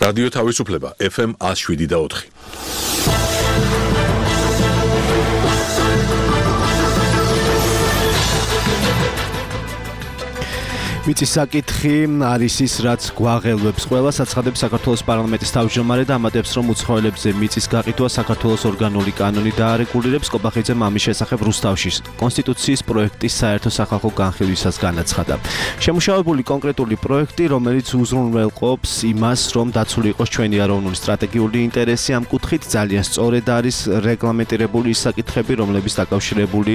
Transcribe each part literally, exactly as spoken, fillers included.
რადიო თავისუფლება ეფ ემ one oh seven და four. მიწის საკითხი არის ის, რაც გვაღელვებს ყველას, აცხადებს საქართველოს პარლამენტის თავმჯდომარე და ამატებს, რომ უცხოელებზე მიწის გაყიდვა საქართველოს ორგანული კანონი დაარეგულირებს. კობახიძემ ამის შესახებ რუსთავში კონსტიტუციის პროექტის საერთო სახალხო განხილვისას განაცხადა. შემუშავებული კონკრეტული პროექტი, რომელიც უზრუნველყოფს იმას, რომ დაცული იყოს ჩვენი ეროვნული სტრატეგიული ინტერესი, ამ კუთხით ძალიან სწორედ არის რეგლამენტირებული ის საკითხები, რომლებიც დაკავშირებული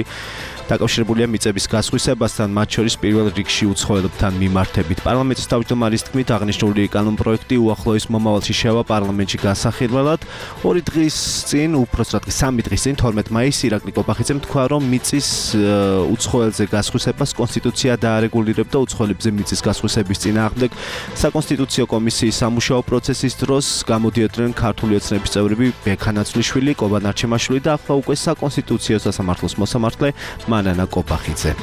დაკავშირებულია მიწების გასხვისებასთან, მათ შორის პირველ რიგში უცხოელებთან მიმართებით. პარლამენტის თავმჯდომარის თქმით, აღნიშნული კანონპროექტი უახლოეს მომავალში შევა პარლამენტში გასახირველად. ორი დღის წინ, უпроსტად სამი დღის წინ, თორმეტ მაისს ირაკლი კობახიძემ თქვა, რომ მიწის უცხოელზე გასხვისებას კონსტიტუცია დაარეგულირებდა. უცხოელებზე მიწის გასხვისების წინააღმდეგ საკონსტიტუციო კომისიის სამუშაო პროცესის დროს გამოდიოდნენ ქართული ოცნების წევრები ბექა ნაცვლიშვილი, კობა ნარჩემაშვილი და ახლა უკვე საკონსტიტუციო სასამართლოს მოსამართლე მანანა კობახიძე.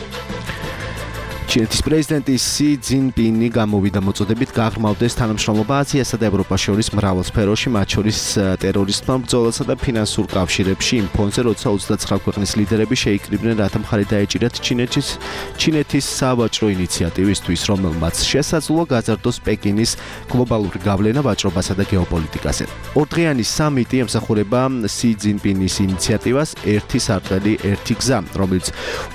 ჩინეთის პრეზიდენტი სი ძინპინი გამოვიდა მოწოდებით გაღრმავდეს თანამშრომლობა აზიასა და ევროპას შორის მრავალ სფეროში, მათ შორის ტერორიზმთან ბრძოლასა და ფინანსურ კავშირებში, იმ ფონზე, როცა ოცდაცხრა ქვეყნის ლიდერები შეიკრიბნენ, რათა მხარი დაეჭირათ ჩინეთის ჩინეთის სავაჭრო ინიციატივისთვის, რომელმაც შესაძლოა გაზარდოს პეკინის გლობალური გავლენა ვაჭრობასა და გეოპოლიტიკაზე. ორდღიანი სამიტი ემსახურება სი ძინპინის ინიციატივას ერთი სარტყელი, ერთი გზა, რომელიც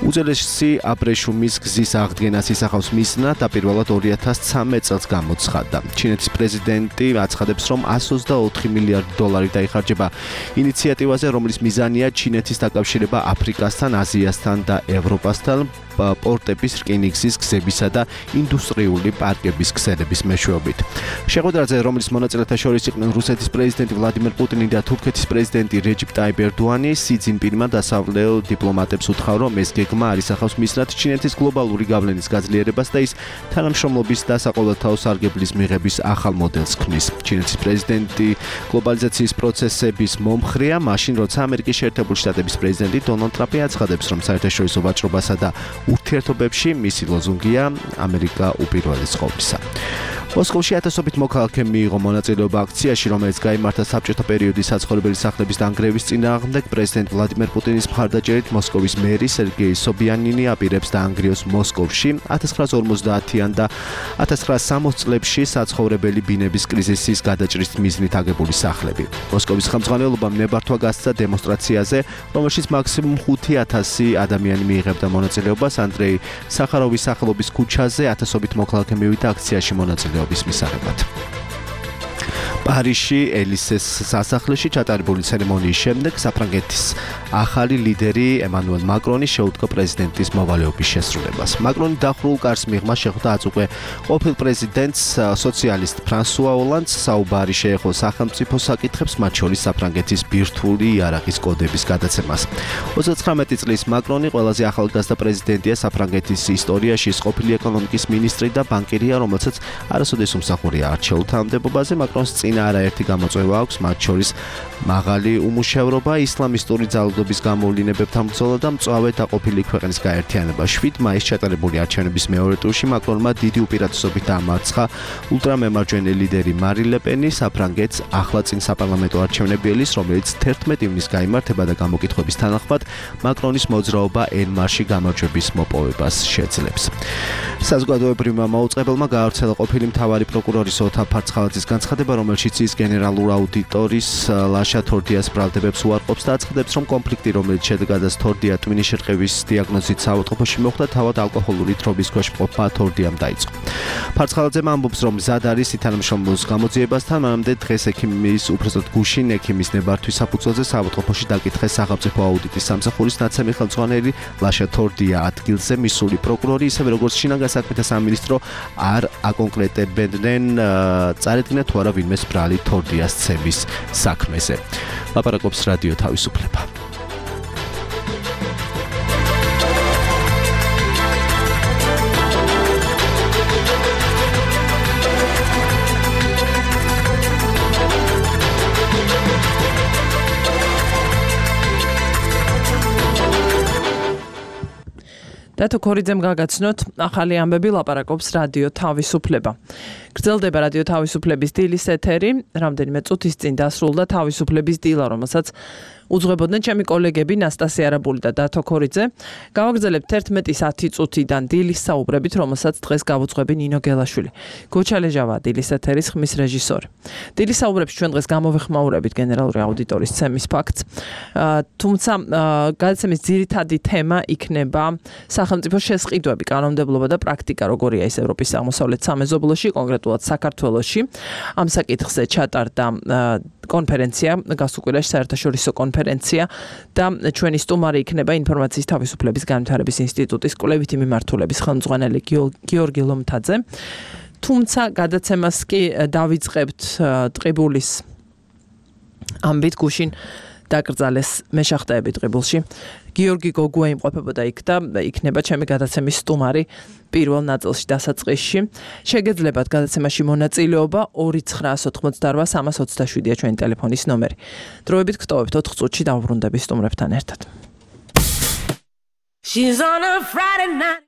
უძველესი აბრეშუმის გზის აღდგენას ისახავს მიზნად, დაპირველად ორი ათას ცხრამეტ წელს გამოცხადდა. ჩინეთის პრეზიდენტი აცხადებს, რომ one hundred twenty-four მილიარდი დოლარი დაიხარჯება ინიციატივაზე, რომლის მიზანია ჩინეთის დაკავშირება აფრიკასთან, აზიასთან და ევროპასთან, პორტების, რკინიგზის გზებისა და ინდუსტრიული პარკების ქსელების მეშვეობით. შეხვედრაზე, რომლის მონაწილეთა შორის იყვნენ რუსეთის პრეზიდენტი ვლადიმერ პუტინი და თურქეთის პრეზიდენტი რეჯიპ ტაიპ ერდოანი, სი ძინპინმა დასავლელ დიპლომატებს უთხრა, რომ ეს გეგმა არ ისახავს მიზნად ჩინეთის გლობალური გავლენის გაძლიერებას და ის თანამშრომლობის და საყოველთაო სარგებლის მიღების ახალ მოდელს ქმნის. ჩინეთის პრეზიდენტი გლობალიზაციის პროცესების მომხრეა, მაშინ როცა ამერიკის შეერთებული შტატების პრეზიდენტი დონალდ ტრამპი აცხადებს, რომ საერთაშორისო ვაჭრობასა და ურთიერთობებში მისი ლოზუნგია ამერიკა უპირველეს ყოვლისა. მოსკოვში ათასობით მოქალაქე მიიღო მონაწილეობა აქციაში, რომელიც გაიმართა საბჭოთა პერიოდის საცხოვრებელი სახლების დანგრევის წინააღმდეგ. პრეზიდენტ ვლადიმერ პუტინის მხარდაჭერით მოსკოვის მერი სერგეი სობიანინი აპირებს დაანგრიოს მოსკოვში ათას ცხრაასა ორმოცდაათიან და ათას ცხრაასა სამოცდ წლებში საცხოვრებელი ბინების კრიზისის გადაჭრის მიზნით აგებული სახლები. მოსკოვის ხელმძღვანელობამ ნებართვა გასცა დემონსტრაციაზე, რომელშიც მაქსიმუმ ხუთი ათასი ადამიანი მიიღებდა მონაწილეობას. ანდრეი სახაროვის სახელობის ქუჩაზე ათასობით მოქალაქე მივიდა აქციაში მონაწილეობას მისაღებად. პარიზში ელისეს სასახლეში ჩატარებული ცერემონიის შემდეგ საფრანგეთის ახალი ლიდერი ემანუელ მაკრონი შეუდგა პრეზიდენტის მოვალეობის შესრულებას. მაკრონი დახურულ კარს მიღმა შეხვდა აწ უკვე ყოფილ პრეზიდენტს სოციალისტ ფრანსუა ოლანდს, საუბარი შეეხო სახელმწიფო საკითხებს, მათ შორის საფრანგეთის ბირთვული იარაღის კოდების გადაცემას. ოცდაცხრამეტი წლის მაკრონი ყველაზე ახალგაზრდა პრეზიდენტია საფრანგეთის ისტორიაში, ყოფილი ეკონომიკის მინისტრი და ბანკირია, რომელსაც არასოდეს უმსახურია არჩეულ თანამდებობაზე. მაკრონს წინა არაერთი გამოწვევა აქვს, მათ შორის მაღალი უმუშევრობა, ისლამისტური ძალადობის გამოვლინებებთან ბრძოლა და მწვავე დაყოფილი ქვეყნის გაერთიანება. შვიდ მაისს ჩატარებული არჩევნების მეორე ტურში მაკრონმა დიდი უპირატესობით დაამარცხა ულტრამემარჯვენე ლიდერი მარი ლე პენი, საფრანგეთს ახლა წინ საპარლამენტო არჩევნები ელის, რომელიც თერთმეტი ივნის გაიმართება და გამოკითხვების თანახმად მაკრონის მოძრაობა ენ-მარში გამარჯვების მოპოვებას შეძლებს. საზოგადოებრივმა მაუწყებელმა გაავრცელა ყოფილი მთავარი პროკურორის ოთარ ფარცხალაძის განცხადება, რომელშიც ის გენერალურ აუდიტორის ლაშა თორდიას ბრალდებებს უარყოფს და აცხადებს, რომ კონფლიქტი, რომელიც შედეგადაც თორდია ტვინის შერყევის დიაგნოზით საავადმყოფოში მოხვდა, თავად ალკოჰოლური თრობის ქვეშ მყოფმა თორდიამ დაიწყო. ფარცხალაძემ ამბობს, რომ მზად არის თანამშრომლობის გამოძიებასთან, მანამდე დღეს ექიმის, უпроსტად გუშინ ექიმის ნებართვის საფუძველზე საავადმყოფოში დაკითხეს სახელმწიფო აუდიტის სამსახურის ნაცემი ხელმძღვანელი ლაშა თორდია ადგილზე მისული პროკურორი, ისევე როგორც შინაგან საქმეთა სამინისტრო არ აკონკრეტებდნენ წარედგინა თუ არა ვინმეს ბრალი თორდიას ცემის საქმეზე. ლაპარაკობს რადიო თავისუფლება. დათო ქორიძემ გაგაცნოთ ახალი ამბები, ლაპარაკობს რადიო თავისუფლება. გრძელდება რადიო თავისუფლების დილის ეთერი, რამდენიმე წუთის წინ დასრულდა თავისუფლების დილა, რომელსაც უძღვებოდნენ ჩემი კოლეგები ნასტასია არაბული და დათო ქორიძე. გავაგრძელებთ ერთმეტის ათი წუთიდან დილის საუბრებით, რომელსაც დღეს გავუძღვები ნინო გელაშვილი. გოჩალეჟავა დილის ეთერის ხმის რეჟისორი. დილის საუბრებში ჩვენ დღეს გამოვეხმაურებით გენერალური აუდიტორის ცემის ფაქტს. თუმცა გადაცემის ძირითადი თემა იქნება სახელმწიფო შესყიდვები, კანონმდებლობა და პრაქტიკა, როგორია ის ევროპის აღმოსავლეთ სამეზობლოში, კონკრეტულად საქართველოში. ამ საკითხზე ჩატარდა კონფერენცია, გასუკვირაში საერთაშორისო კონფერენცია და ჩვენი სტუმარი იქნება ინფორმაციის თავისუფლების განვითარების ინსტიტუტის კვლევითი მიმართულების ხელმძღვანელი გიორგი ლომთაძე. თუმცა გადაცემას კი დავიწყებთ ტყიბულის ამბით გუშინ დაკრძალეს მეშახტეები ტყიბულში. გიორგი გოგუა იმყოფებოდა იქ და იქნება ჩემი გადაცემის სტუმარი პირველ ნაწილში დასაწყისში. შეგეძლებათ გადაცემაში მონაწილეობა ორი ცხრაას ოთხმოცდარბა სამას ოცდაშვიდია ჩვენი ტელეფონის ნომერი. დროებით გტოვებთ ოთხ წუთში დავბრუნდები სტუმრებთან ერთად. She's on a Friday night.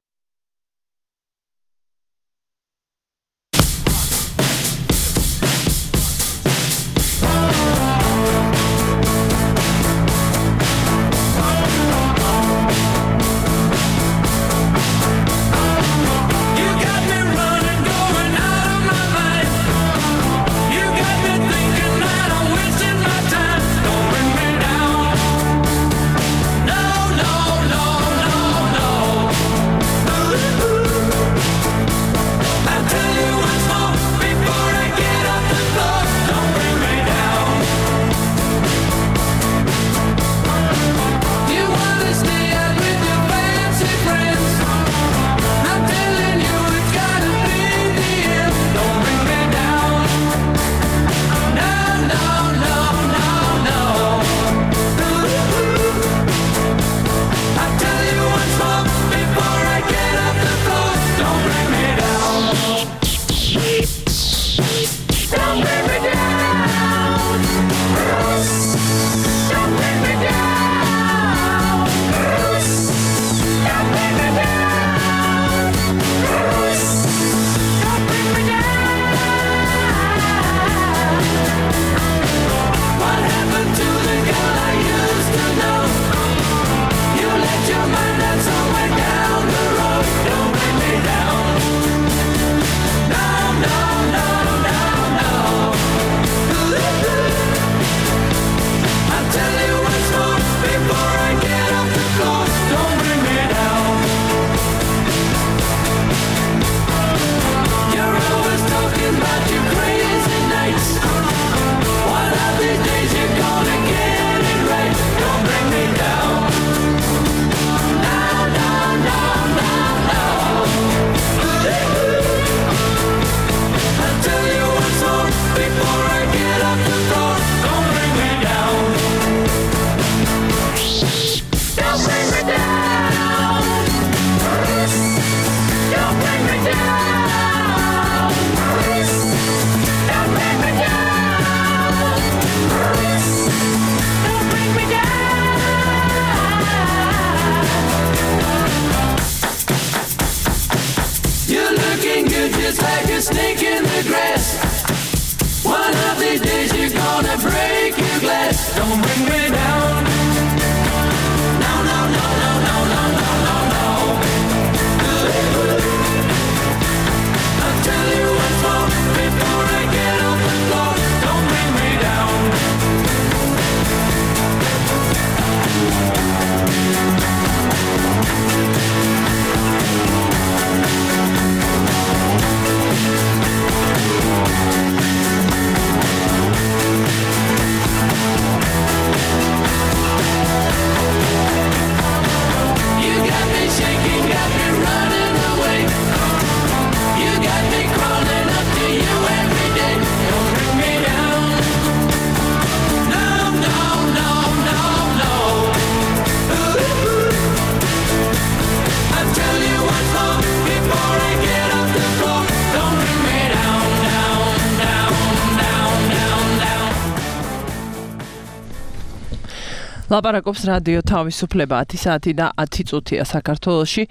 ლაპარაკობს რადიო თავისუფლება ათი საათი და ათი წუთია საქართველოში.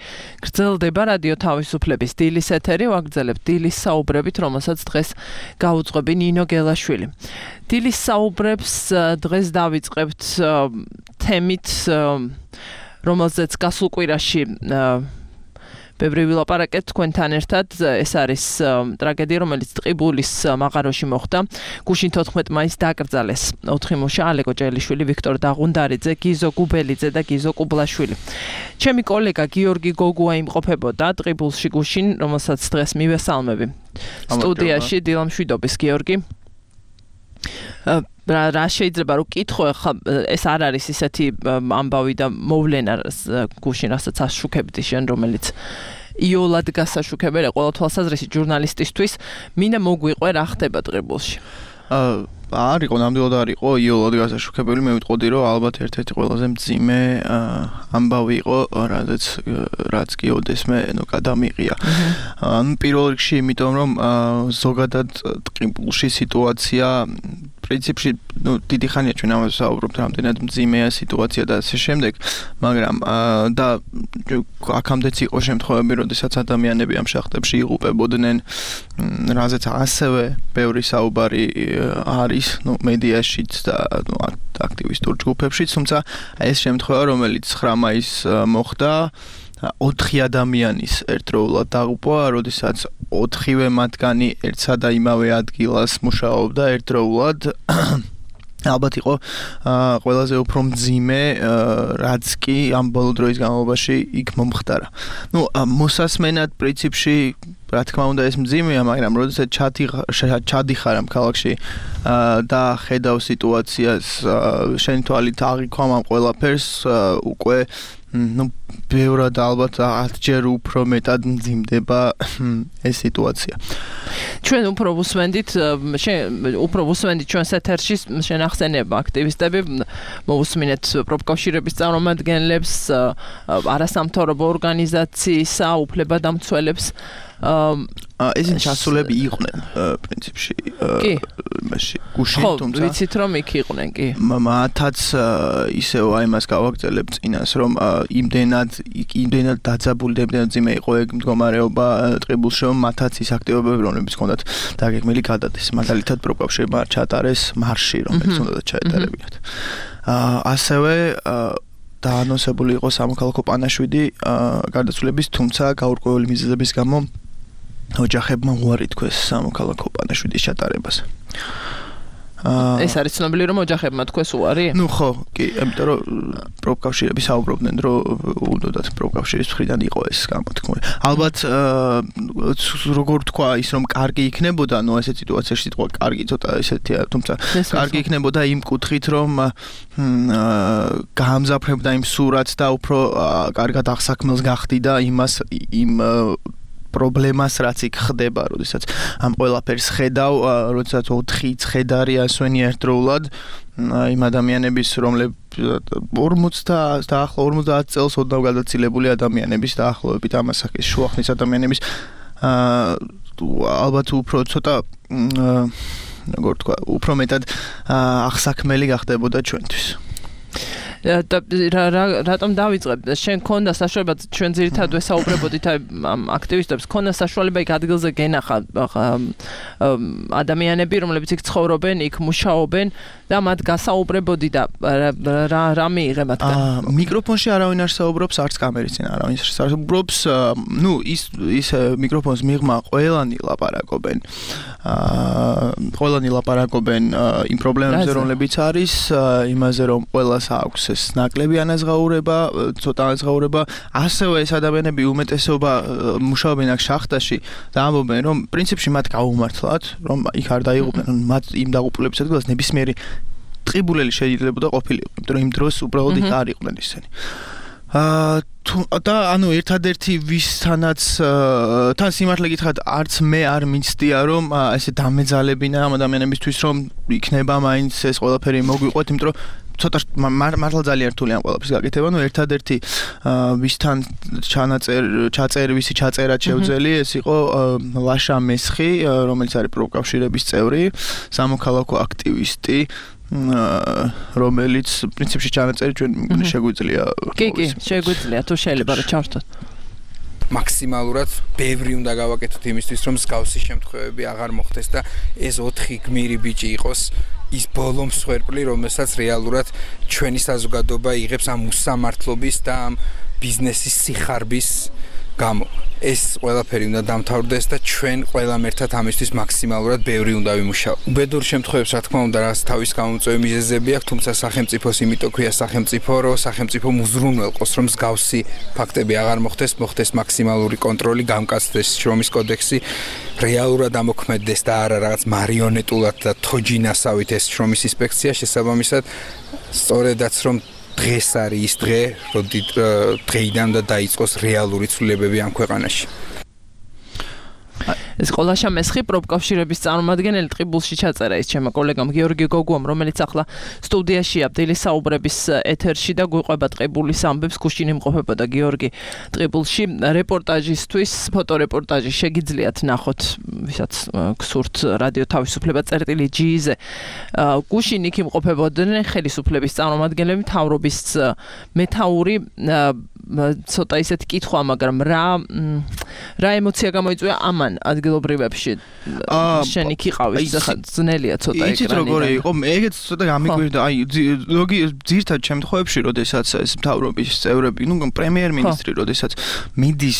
გრძელდება რადიო თავისუფლების დილის ეთერი, ვაგრძელებთ დილის საუბრებით, რომელსაც დღეს გაუძღვები ნინო გელაშვილი. დილის საუბრებს დღეს დავიწყებთ თემით, რომელზეც გასულ კვირაში ბევრი ვილაპარაკეთ თქვენთან ერთად. ეს არის ტრაგედია, რომელიც ტყიბულის მაღაროში მოხდა. გუშინ თოთხმეტ მაისს დაკრძალეს ოთხი მუშა: ალეკო ჭელიშვილი, ვიქტორ დაღუნდარიძე, გიზო გუბელიძე და გიზო კუბლაშვილი. ჩემი კოლეგა გიორგი გოგუა იმყოფებოდა ტყიბულში გუშინ, რომელსაც დღეს მივესალმები. სტუდიაში დილამშვიდობის გიორგი. რა შეიძლება რომ კითხო, ეს არ არის ისეთი ამბავი და მოვლენა გუშინ, რასაც აშუქებდი შენ, რომელიც იოლად გასაშუქებელია ყველა თვალსაზრისით ჟურნალისტისთვის. მინდა მოგვიყვე რა ხდება ტყიბულში. არ იყო, ნამდვილად არ იყო იოლად გასაშუქებელი. მე ვიტყოდი, რომ ალბათ ერთ-ერთი ყველაზე მძიმე ამბავი იყო, რადგან რაც კი ოდესმე ნუ გადამიყია. ანუ პირველ რიგში იმიტომ, რომ ზოგადად ტყიბულში სიტუაცია პრინციპში ნუ დიდი ხანია ჩვენ ამაზე საუბრობთ, რამდენად მძიმეა სიტუაცია და ასე შემდეგ, მაგრამ და აქამდეც იყო შემთხვევები, როდესაც ადამიანები ამ შახტებში იღუპებოდნენ, რაზეც ასევე ბევრი საუბარი არის, ნუ მედიაშიც და ნუ აქტივისტურ ჯგუფებშიც, თუმცა ეს შემთხვევა, რომელიც ცხრა მაისს მოხდა, ოთხი ადამიანის ერთდროულად დაღუპვა, როდესაც ოთხივე მათგანი ერთსა და იმავე ადგილას მუშაობდა ერთდროულად. ალბათ იყო ყველაზე უფრო მძიმე, რაც კი ამ ბოლო დროის განმავლობაში იქ მომხდარა. ნუ მოსასმენად პრინციპში რა თქმა უნდა ეს მძიმეა, მაგრამ როდესაც ჩადიხარ ამ ქალაქში და ხედავ სიტუაციას, შენი თვალით აღიქვამ ამ ყველაფერს, უკვე ნუ ბევრად ალბათ ათჯერ უფრო მეტად მძიმდება ეს სიტუაცია. ჩვენ უფრო ვუსმენდით, შენ უფრო ვუსმენდით ჩვენს ეთერში შენახსენებმა აქტივისტები, მოვუსმინეთ პროფკავშირების წარმომადგენლებს, არასამთავრობო ორგანიზაციისა უფლებადამცველებს. ესენ ჩასულები იყვნენ პრინციპში იმაში გუშინ, თუმცა ხო, ვიცით რომ იქ იყვნენ, კი. მათაც ისევ აი მას გავაგრძელებ წინას, რომ იმდენად იმდენად დაძაბული და იმდენად ძიმე იყო ეგ მდგომარეობა ტყიბულში, რომ მათაც ის აქტივობები, რომლებიც ჰქონდათ დაგეგმილი გადადეს. მაგალითად პროფკავშირებმა ჩაატარეს მარში, რომელიც უნდა ჩაეტარებინათ. ასევე დაანონსებული იყო სამოქალაქო პანაშვიდი გარდაცვლების, თუმცა გაურკვეველი მიზეზების გამო ოჯახებმა უარი თქვეს სამოქალაქო პანაშვიდის ჩატარებას. ეს არის ცნობილი, რომ ოჯახებმა თქვეს უარი? ნუ ხო, კი, იმიტომ რომ პროფკავშირები საუბრობდნენ, რომ უნდათ პროფკავშირის მხრიდან იყო ეს გამოთქმული. ალბათ როგორ თქვა ის, რომ კარგი იქნებოდა, ნუ ესეთ სიტუაციაში სიტყვა კარგი ცოტა ესეთია, თუმცა კარგი იქნებოდა იმ კუთხით, რომ გაამზაფრებდა იმ სურათს და უფრო კარგად აღსაქმელს გახდიდა იმას იმ პრობლემას, რაც იქ ხდება, როდესაც ამ ყველაფერს ხედავ, როდესაც ოთხი ცხედარი ასვენი ერთდროულად იმ ადამიანების, რომლებიც ორმოცდა და ახლა ორმოცდაათ წელს ოდნავ გადაცილებული ადამიანების დაახლოებით ამასაკის შუახნის ადამიანების ალბათ უფრო ცოტა როგორ თქვა, უფრო მეტად აღსაქმელი გახდებოდა ჩვენთვის. რატომ დავიწყებ? შენ ქონდა საშუალება, ჩვენ ძირითადად ვესაუბრებოდით ამ აქტივისტებს, ქონდა საშუალება იქ ადგილზე გენახა ადამიანები, რომლებიც იქ ცხოვრობენ, იქ მუშაობენ და მათ გასაუბრებოდი და რა მიიღე მათგან? მიკროფონში არავინ არ საუბრობს, არც კამერის წინ არავინ არ საუბრობს. ნუ ის ის მიკროფონს მიღმა ყველანი ლაპარაკობენ. ყველანი ლაპარაკობენ იმ პრობლემებზე, რომლებიც არის, იმაზე რომ ყველას აქვს ეს ნაკლები ანაზღაურება, ცოტა ანაზღაურება. ასევე ეს ადამიანები უმეტესობა მუშაობენ აქ შახტაში და ამბობენ, რომ პრინციპში მათ გაუმართლათ, რომ იქ არ დაიღუპნენ, მათ იმ დაღუპულების ადგილას ნებისმიერი ტყიბულელი შეიძლებოდა ყოფილიყო, იმიტომ რომ იმ დროს უბრალოდ იქ არ იყვნენ ისინი. და ანუ ერთადერთი ვისთანაც თან სიმართლე გითხრათ, არც მე არ მიცდია, რომ ესე დამეძალებინა ამ ადამიანებისთვის, რომ იქნება მაინც ეს ყველაფერი მოგვიყვეთ, იმიტომ რომ ცოტა მართლა ძალიან რთული ამ ყველაფრის გაკეთება. ნუ ერთადერთი ვისთან ჩანაწერ ჩაწერ ვისი ჩაწერად შევძელი, ეს იყო ლაშა მესხი, რომელიც არის პროფკავშირების წევრი, სამოქალაქო აქტივისტი. რომელიც პრინციპში ჩანაწერი ჩვენ შეგვიძლია. კი, კი, შეგვიძლია თუ შეიძლება რა ჩავშთოთ. მაქსიმალურად ბევრი უნდა გავაკეთოთ იმისთვის, რომ მსგავსი შემთხვევები აღარ მოხდეს და ეს ოთხი გმირი ბიჭი იყოს ის ბოლო მსხვერპლი, რომელსაც რეალურად ჩვენი საზოგადოება იღებს ამ უსამართლობის და ამ ბიზნესის სიხარბის გამო. ეს ყველაფერი უნდა დამთავრდეს და ჩვენ ყველამ ერთად ამისთვის მაქსიმალურად ბევრი უნდა ვიმუშაოთ. უბედურ შემთხვევებს რა თქმა უნდა რაც თავის გამომწვევი მიზეზები აქვს, თუმცა სახელმწიფოს იმიტომ ქვია სახელმწიფო, რომ სახელმწიფო მუზრუნველყოს, რომ მსგავსი ფაქტები აღარ მოხდეს, მოხდეს მაქსიმალური კონტროლი, გამკაცდეს შრომის კოდექსი, რეალურად ამოქმედდეს და არა რაღაც მარიონეტულად და თოჯინასავით ეს შრომის ინსპექცია, შესაბამისად სწორედაც რომ დღეს არის ის დღე, როდი დღეიდან და დაიწყოს რეალური ცვლილებები ამ ქვეყანაში. ეს ყოლაშა მესხი პროფკავშირების წარმომადგენელი ტყიბულში ჩაწერა ის ჩემო კოლეგამ გიორგი გოგუამ, რომელიც ახლა სტუდიაშია ბდილის საუბრების ეთერში და გვიყვება ტყიბულის ამბებს, გუშინ იმყოფებოდა გიორგი ტყიბულში რეპორტაჟისთვის, ფოტორეპორტაჟი შეგიძლიათ ნახოთ, ვისაც გსურთ რადიო თავისუფლება წერტილი ჯი-ზე. გუშინ იქ იმყოფებოდნენ ხელისუფლების წარმომადგენლები, მთავრობის მეთაური, ცოტა ისეთი კითხვა, მაგრამ რა რა ემოცია გამოიწვია ამან ადგილობრივებში შენ იქ იყავი ძნელია ცოტა ეკრანიდან. იცით როგორი იყო? ეგეც ცოტა გამიგვირდა. აი ლოგი ძირთად შემთხვევებში, როდესაც ეს მთავრობის წევრები, ნუ პრემიერ-მინისტრი, როდესაც მიდის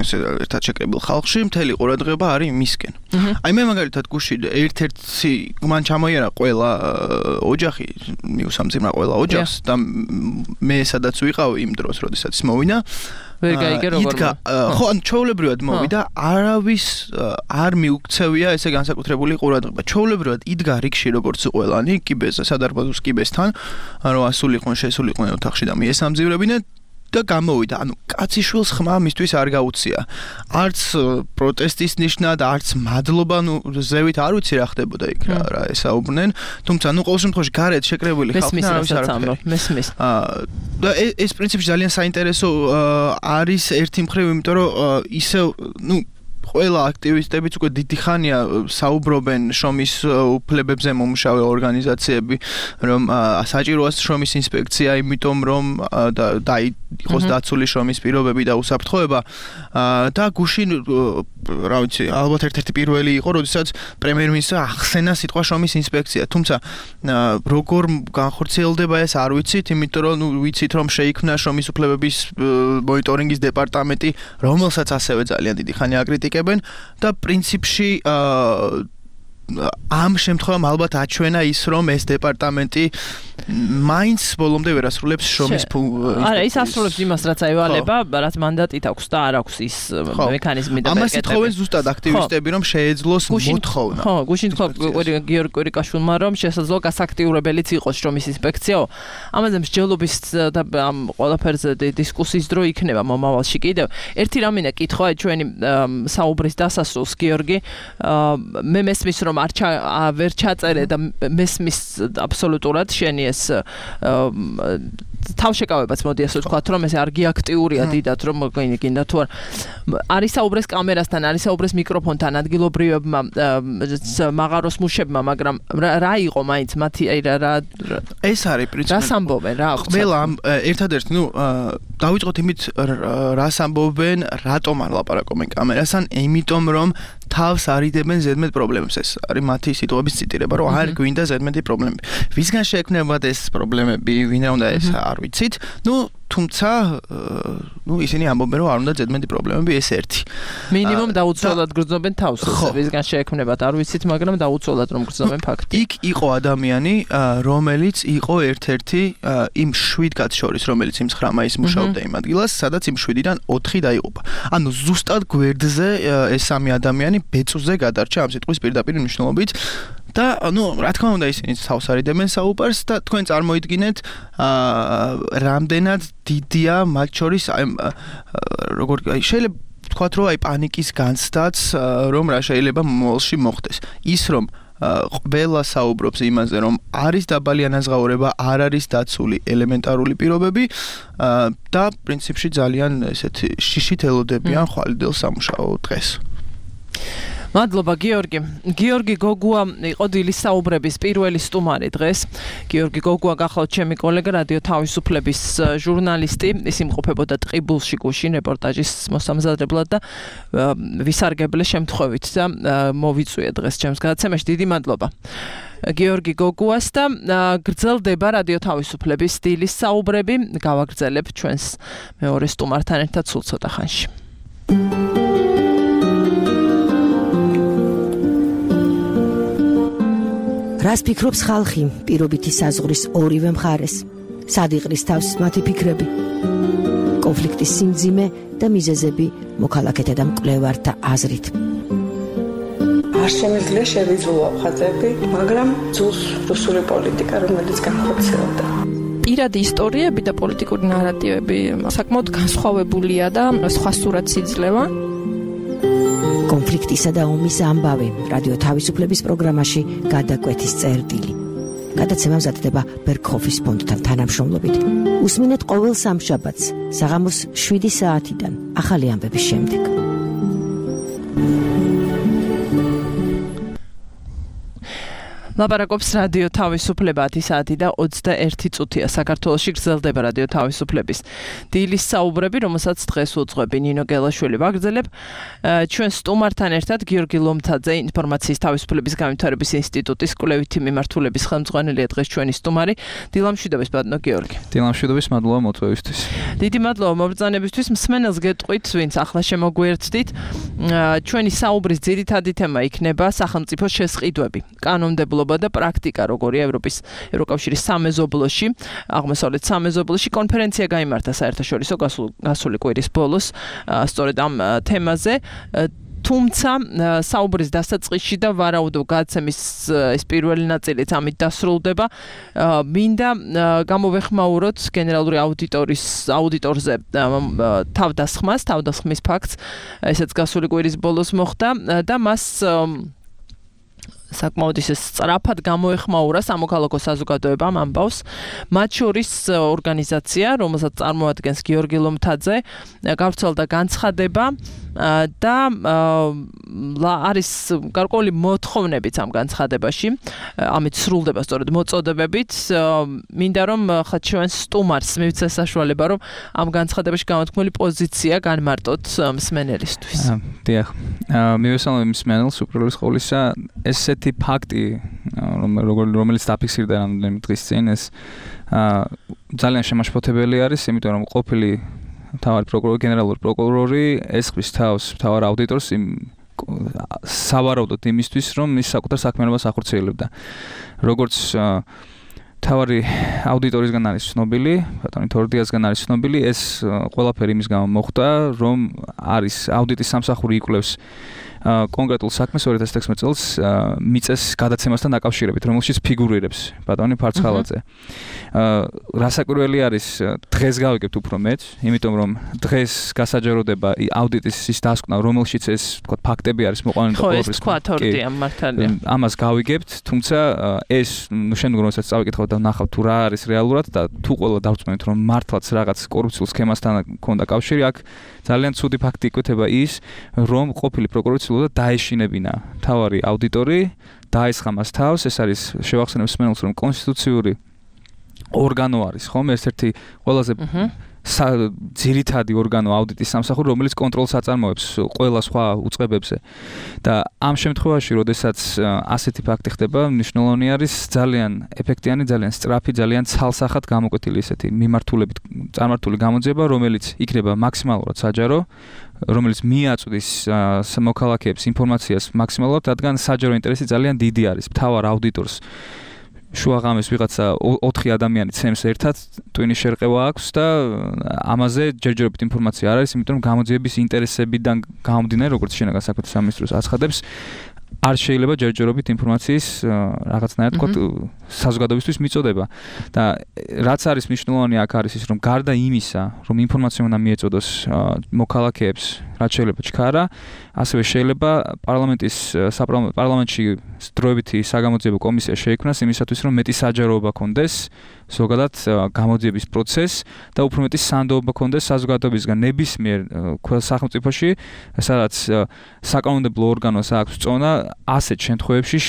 ესე ერთად შეკრებილ ხალხში, მთელი ყურადღება არის მისკენ. აი მე მაგალითად გუშინ ერთ-ერთი მან ჩამოიარა ყველა ოჯახი, მიუსამძიმრა ყველა ოჯახს და მე სადაც ვიყავ იმ დროს, როდესაც მოვინა ვერ გაიგე როგორ ხო ან ჩაოლებრივად მოვიდა არავის არ მიუქცევია ესე განსაკუთრებული ყურადღება ჩაოლებრივად იდგა რიგში როგორც ყველანი კიბეზე სადარბაზოს კიბესთან რომ ასულიყვნენ შესულიყვნენ ოთახში და მიესამძივრებინე და გამოვიდა ანუ კაციშვილს ხმა მისთვის არ გაუწია არც პროტესტის ნიშნად არც მადლობა ნუ ზევით არ ვიცი რა ხდებოდა იქ რა ესაუბრნენ თუმცა ნუ ყოველ შემთხვევაში გარეთ შეკრებული ხალხი არავის არ მესმის და ეს პრინციპი ძალიან საინტერესო არის ერთი მხრივ იმიტომ რომ ისევ ნუ ყველა აქტივისტებიც უკვე დიდი ხანია საუბრობენ შრომის უფლებებზე მომუშავე ორგანიზაციები რომ საჭიროა შრომის ინსპექცია იმიტომ რომ და იყოს დაცული შრომის პირობები და უსაფრთხოება და გუშინ რა ვიცი ალბათ ერთ-ერთი პირველი იყო როდესაც პრემიერ-მინისტრმა ახსენა სიტყვა შრომის ინსპექცია თუმცა როგორ განხორციელდება ეს არ ვიცით იმიტომ რომ ნუ ვიცით რომ შეიქმნა შრომის უფლებების მონიტორინგის დეპარტამენტი რომელსაც ასევე ძალიან დიდი ხანი აკრიტიკებენ და პრინციპში ამ შემთხვევამ ალბათ აჩვენა ის რომ ეს დეპარტამენტი მაინც ბოლომდე ვერ ასრულებს შრომის არა ის ასრულებს იმას რაც აივალება რაც მანდატით აქვს და არ აქვს ის მექანიზმი და ამას ითხოვენ ზუსტად აქტივისტები რომ შეეძლოს მოთხოვნა ხო გუშინ თქვა გიორგი კვირიკაშვილმა რომ შესაძლოა გასაქტიურებელიც იყოს შრომის ინსპექციაო ამაზე მსჯელობის და ამ ყველაფერზე დისკუსიის დრო იქნება მომავალში კიდევ ერთი რამინა კითხვა ჩვენი საუბრის დასასრულს გიორგი მე მესმის რომ არ ვერ ჩაწერე და მესმის აბსოლუტურად შენი ეს თავშეკავებაც მოდი ასე ვთქვათ რომ ეს არ გიაქტიურია დიდად რომ გინდა თუ არ არის საუბრეს კამერასთან არის საუბრეს მიკროფონთან ადგილობრივებმა მაღაროს მუშებმა მაგრამ რა იყო მაინც მათი აი რა ეს არის პრინციპი რას ამბობენ რა ყველა ერთადერთი ნუ დავიწყოთ იმით რას ამბობენ რატომ არ ლაპარაკობენ კამერასთან იმიტომ რომ თავს არიდებენ ზედმეტ პრობლემებს ეს არის მათი სიტყვების ციტირება რომ არ გვინდა ზედმეტი პრობლემები ვისგან შეექმნებათ ეს პრობლემები ვინ უნდა ეს არ ვიცით ნუ თუმცა ნუ ისინი ამბობენ რომ არ უნდა ზედმეტი პრობლემები ეს ერთი მინიმუმ დაუცველად გრძნობენ თავს ვისგან შეექმნებათ არ ვიცით მაგრამ დაუცველად რომ გრძნობენ ფაქტი იქ იყო ადამიანი რომელიც იყო ერთ-ერთი იმ შვიდ კაცს შორის რომელიც იმ ცხრა მაისს მუშაობდა იმ ადგილას სადაც იმ შვიდიდან ოთხი დაიღუპა ანუ ზუსტად გვერდზე ეს სამი ადამიანი ბეწვზე გადარჩა ამ სიტყვის პირდაპირ მნიშვნელობით და ნუ რა თქმა უნდა ისინი თავს არიდებენ საუბარს და თქვენ წარმოიდგინეთ რამდენად დიდია მათ შორის როგორ შეიძლება ვთქვათ რომ აი პანიკის განცდაც რომ რა შეიძლება მომავალში მოხდეს ის რომ ყველა საუბრობს იმაზე რომ არის დაბალი ანაზღაურება არ არის დაცული ელემენტარული პირობები და პრინციპში ძალიან ესეთი შიშით ელოდებიან ხვალიდელ სამუშაო დღეს მადლობა გიორგი. გიორგი გოგუა იყო დილის საუბრების პირველი სტუმარი დღეს. გიორგი გოგუა გახლავთ ჩემი კოლეგა რადიო თავისუფლების ჟურნალისტი. ის იმყოფებოდა ტყიბულში გუშინ რეპორტაჟის მოსამზადებლად და ვისარგებლე შემთხვევით და მოვიწვია დღეს ჩემს გადაცემაში. დიდი მადლობა. გიორგი გოგუას და გრძელდება რადიო თავისუფლების დილის საუბრები. გავაგრძელებ ჩვენს მეორე სტუმართან ერთად სულ ცოტა ხანში. რას ფიქრობს ხალხი პირობითი საზღვრის ორივე მხარეს? სად იყრის თავს მათი ფიქრები? კონფლიქტის სიმძიმე და მიზეზები მოქალაქეთა და მკვლევართა აზრით. არ შემიძლია შევიძულო ხაზები, მაგრამ ძულს რუსული პოლიტიკა, რომელიც განხორციელდა. პირადი ისტორიები და პოლიტიკური ნარატივები საკმაოდ განსხვავებულია და სხვა სურათს იძლევა. კონფლიქტისა და ომის ამბავი რადიო თავისუფლების პროგრამაში გადაკვეთის წერტილი. გადაცემა მზადდება ბერქოფის ფონდთან თანამშრომლობით. უსმინეთ ყოველ სამშაბათს საღამოს შვიდი საათიდან ახალი ამბების შემდეგ. ლაპარაკობს რადიო თავისუფლება ათი საათი და ოცდაერთი წუთია საქართველოში გრძელდება რადიო თავისუფლების დილის საუბრები, რომელსაც დღეს უძღვები ნინო გელაშვილი. ვაგრძელებ ჩვენ სტუმართან ერთად გიორგი ლომთაძე, ინფორმაციის თავისუფლების განვითარების ინსტიტუტის კვლევითი მიმართულების ხელმძღვანელია დღეს ჩვენი სტუმარი. დილამშვიდობის ბატონო გიორგი. დილამშვიდობის, მადლობა მოწვევისთვის. დიდი მადლობა მობრძანებისთვის. მსმენელს გეტყვით, ვინც ახლა შემოგვიერთდით. ჩვენი საუბრის ძირითადი თემა იქნება სახელმწიფოს შესყიდვები, კანონმდებლობა და პრაქტიკა, როგორია ევროპის ევროკავშირის სამეზობლოში, აღმოსავლეთ სამეზობლოში. კონფერენცია გაიმართა საერთაშორისო გასული კვირის ბოლოს სწორედ ამ თემაზე. თუმცა საუბრის დასაწყისში და ვარაუდობ გადაცემის ეს პირველი ნაწილიც ამით დასრულდება. მინდა გამოვეხმაუროთ გენერალური აუდიტორის აუდიტორზე თავდასხმას, თავდასხმის ფაქტს, ესეც გასული კვირის ბოლოს მოხდა და მას საკმაოდ ისე სწრაფად გამოეხმაურა სამოქალაქო საზოგადოებამ ამბავს. მათ შორის ორგანიზაცია, რომელსაც წარმოადგენს გიორგი ლომთაძე, გავრცელდა განცხადება და არის გარკვეული მოთხოვნებიც ამ განცხადებაში. ამით სრულდება სწორედ მოწოდებებით. მინდა რომ ხა ჩვენ სტუმარს მივცე საშუალება, რომ ამ განცხადებაში გამოთქმული პოზიცია განმარტოთ მსმენელისთვის. დიახ. მივესალმებ მსმენელს უპირველეს ყოვლისა, ესეთი ფაქტი, რომელიც დაფიქსირდა რამდენიმე დღის წინ, ეს ძალიან შემაშფოთებელი არის, იმიტომ რომ ყოფილი მთავარი პროკურორი, გენერალური პროკურორი ესხვის თავს მთავარ აუდიტორს იმ სავარაუდოდ იმისთვის, რომ ის საკუთარ საქმიანობას ახორციელებდა. როგორც მთავარი აუდიტორისგან არის ცნობილი, ბატონი თორდიასგან არის ცნობილი, ეს ყველაფერი იმის გამო მოხდა, რომ არის აუდიტის სამსახური იკვლევს კონკრეტულ საქმეს ორი ათას ათექვსმეტ წელს მიწეს გადაცემასთან დაკავშირებით, რომელშიც ფიგურირებს ბატონი ფარცხალაძე. რასაკვირველი არის, დღეს გავიგებთ უფრო მეც, იმიტომ რომ დღეს გასაჯაროდება აუდიტის ის დასკვნა, რომელშიც ეს თქო ფაქტები არის მოყვანილი და ყოველთვის თქვა თორდია მართალია. ამას გავიგებთ, თუმცა ეს ნუ შემდგომ როდესაც წავიკითხავთ და ვნახავთ თუ რა არის რეალურად და თუ ყველა დავწმენთ რომ მართლაც რაღაც კორუფციულ სქემასთან ქონდა კავშირი, აქ ძალიან ცუდი ფაქტი იკვეთება ის, რომ ყოფილი პროკურორი და დაეშინებინა მთავარი აუდიტორი, დაესხა მას თავს. ეს არის შევახსენებ მსმენელს, რომ კონსტიტუციური ორგანო არის, ხომ? ერთ-ერთი ყველაზე ძირითადი ორგანო აუდიტის სამსახური, რომელიც კონტროლს აწარმოებს ყველა სხვა უწყებებზე. და ამ შემთხვევაში, როდესაც ასეთი ფაქტი ხდება, მნიშვნელოვანი არის ძალიან ეფექტიანი, ძალიან სწრაფი, ძალიან ცალსახად გამოკვეთილი ესეთი მიმართულებით წარმართული გამოძიება, რომელიც იქნება მაქსიმალურად საჯარო, რომელიც მიაწვდის მოქალაქეებს ინფორმაციას მაქსიმალურად, რადგან საჯარო ინტერესი ძალიან დიდი არის. მთავარ აუდიტორს შუაღამეს ვიღაცა ოთხი ადამიანი ცემს ერთად, ტვინის შერყევა აქვს და ამაზე ჯერჯერობით ინფორმაცია არ არის, იმიტომ რომ გამოძიების ინტერესებიდან გამომდინარე, როგორც შინაგან საქმეთა სამინისტროს აცხადებს, არ შეიძლება ჯერჯერობით ინფორმაციის რაღაცნაირად თქო საზოგადოებისთვის მიწოდება. და რაც არის მნიშვნელოვანი აქ არის ის, რომ გარდა იმისა, რომ ინფორმაცია უნდა მიეწოდოს მოქალაქეებს, რაც შეიძლება ჩქარა, ასევე შეიძლება პარლამენტის პარლამენტში დროებითი საგამოძიებო კომისია შეიქმნას იმისათვის, რომ მეტი საჯაროობა კონდეს ზოგადად გამოძიების პროცესს და უფრო მეტი სანდოობა ქონდეს საზოგადოებისგან ნებისმიერ ყველა სახელმწიფოში, სადაც საკანონმდებლო ორგანოს აქვს წონა ასეთ შემთხვევებში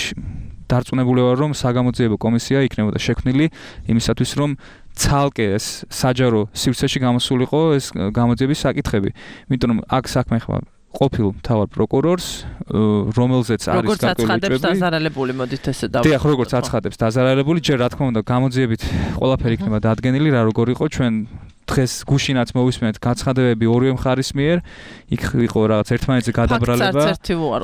დარწმუნებული ვარ, რომ საგამოძიებო კომისია იქნებოდა შექმნილი იმისათვის, რომ ცალკე ეს საჯარო სივრცეში გამოსულიყო ეს გამოძიების საკითხები. იმიტომ რომ აქ საქმე ხმა ყოფილ მთავარ პროკურორს, რომელზეც არის როგორც აცხადებს დაზარალებული, მოდით ესე დავუშვათ. დიახ, როგორც აცხადებს დაზარალებული, ჯერ რა თქმა უნდა გამოძიებით ყველაფერი იქნება დადგენილი, რა როგორ იყო ჩვენ დღეს გუშინაც მოვისმენთ გაცხადებები ორივე მხარის მიერ, იქ იყო რაღაც ერთმანეთზე გადაბრალება.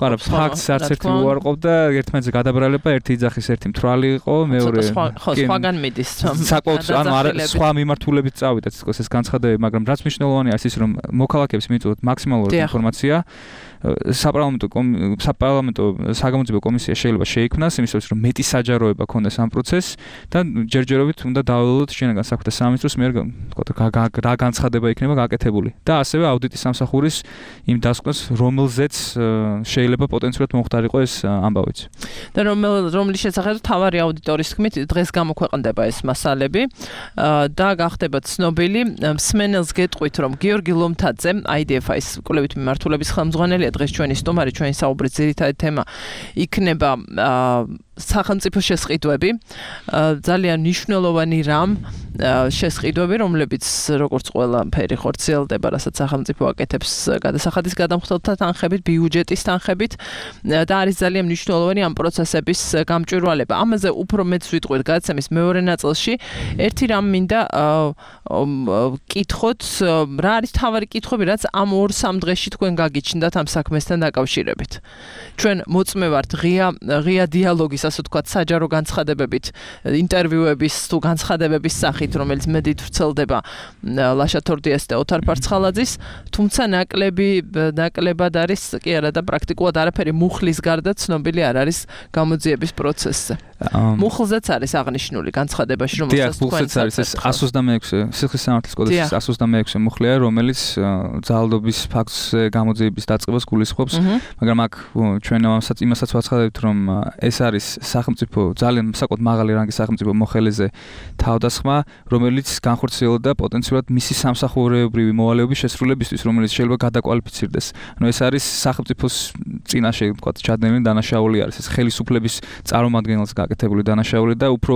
არა, ფაქტს არც ერთი უარყოფდა, ერთმანეთზე გადაბრალება, ერთი იძახის, ერთი მთვრალი იყო, მეორე ხო, სხვაგან მიდის. საკმაოდ, ანუ არა, სხვა მიმართულებით წავიდა თქოს ეს განცხადებები, მაგრამ რაც მნიშვნელოვანია ის, რომ მოქალაქეებს მიწვევთ მაქსიმალურად ინფორმაცია. საპარლამენტო საპარლამენტო საგამოძიებო კომისია შეიძლება შეიქმნას იმისათვის, რომ მეტი საჯაროება ქონდეს ამ პროცესს და ჯერჯერობით უნდა დავალოთ შინაგან საქმეთა სამინისტროს მიერ რა განცხადება იქნება გაკეთებული და ასევე აუდიტის სამსახურის იმ დასკვნას, რომელზეც შეიძლება პოტენციურად მომხდარიყო ეს ამბავიც. და რომლის შესახებ თავარი აუდიტორის თქმით დღეს გამოქვეყნდება ეს მასალები და გახდება ცნობილი. მსმენელს გეტყვით, რომ გიორგი ლომთაძე აი დი ეფ აის კვლევით მიმართულების ხელმძღვანელია დღეს ჩვენი სტუმარი, ჩვენი საუბრის ძირითადი თემა იქნება სახელმწიფო შესყიდვები, ძალიან მნიშვნელოვანი რამ შესყიდვები, რომლებიც როგორც ყველაფერი ხორციელდება, რასაც სახელმწიფო აკეთებს გადასახადის გადამხდელთა თანხებით, ბიუჯეტის თანხებით და არის ძალიან მნიშვნელოვანი ამ პროცესების გამჭვირვალება. ამაზე უფრო მეც ვიტყვით გადაცემის მეორე ნაწილში. ერთი რამ მინდა კითხოთ, რა არის თავარი კითხვები, რაც ამ ორ სამ დღეში თქვენ გაგიჩნდათ ამ საქმესთან დაკავშირებით. ჩვენ მოწმე ვართ ღია ღია დიალოგის, ასე ვთქვათ, საჯარო განცხადებებით, ინტერვიუების თუ განცხადებების სახით, რომელიც მედით ვრცელდება ლაშა თორდიას და ოთარ ფარცხალაძის, თუმცა ნაკლები ნაკლებად არის კი არა და პრაქტიკულად არაფერი მუხლის გარდა ცნობილი არ არის გამოძიების პროცესზე. მუხლზეც არის აღნიშნული განცხადებაში, რომელსაც თქვენ მუხლზეც არის ეს εκατს ოცდამეექვსე სიხლის სამართლის კოდექსის εκατს ოცდამეექვსე მუხლია, რომელიც ძალადობის ფაქტზე გამოძიების დაწყებას გულისხმობს, მაგრამ აქ ჩვენ იმასაც ვაცხადებთ, რომ ეს არის სახელმწიფო ძალიან საკმაოდ მაღალი რანგის სახელმწიფო მოხელეზე თავდასხმა, რომელიც განხორციელდა პოტენციურად მისი სამსახურეობრივი მოვალეობის შესრულებისთვის, რომელიც შეიძლება გადაკვალიფიცირდეს. ანუ ეს არის სახელმწიფოს წინაშე, ვთქვათ, ჩადენილი დანაშაული არის, ეს ხელისუფლების წარმომადგენელს გაკეთებული დანაშაული და უფრო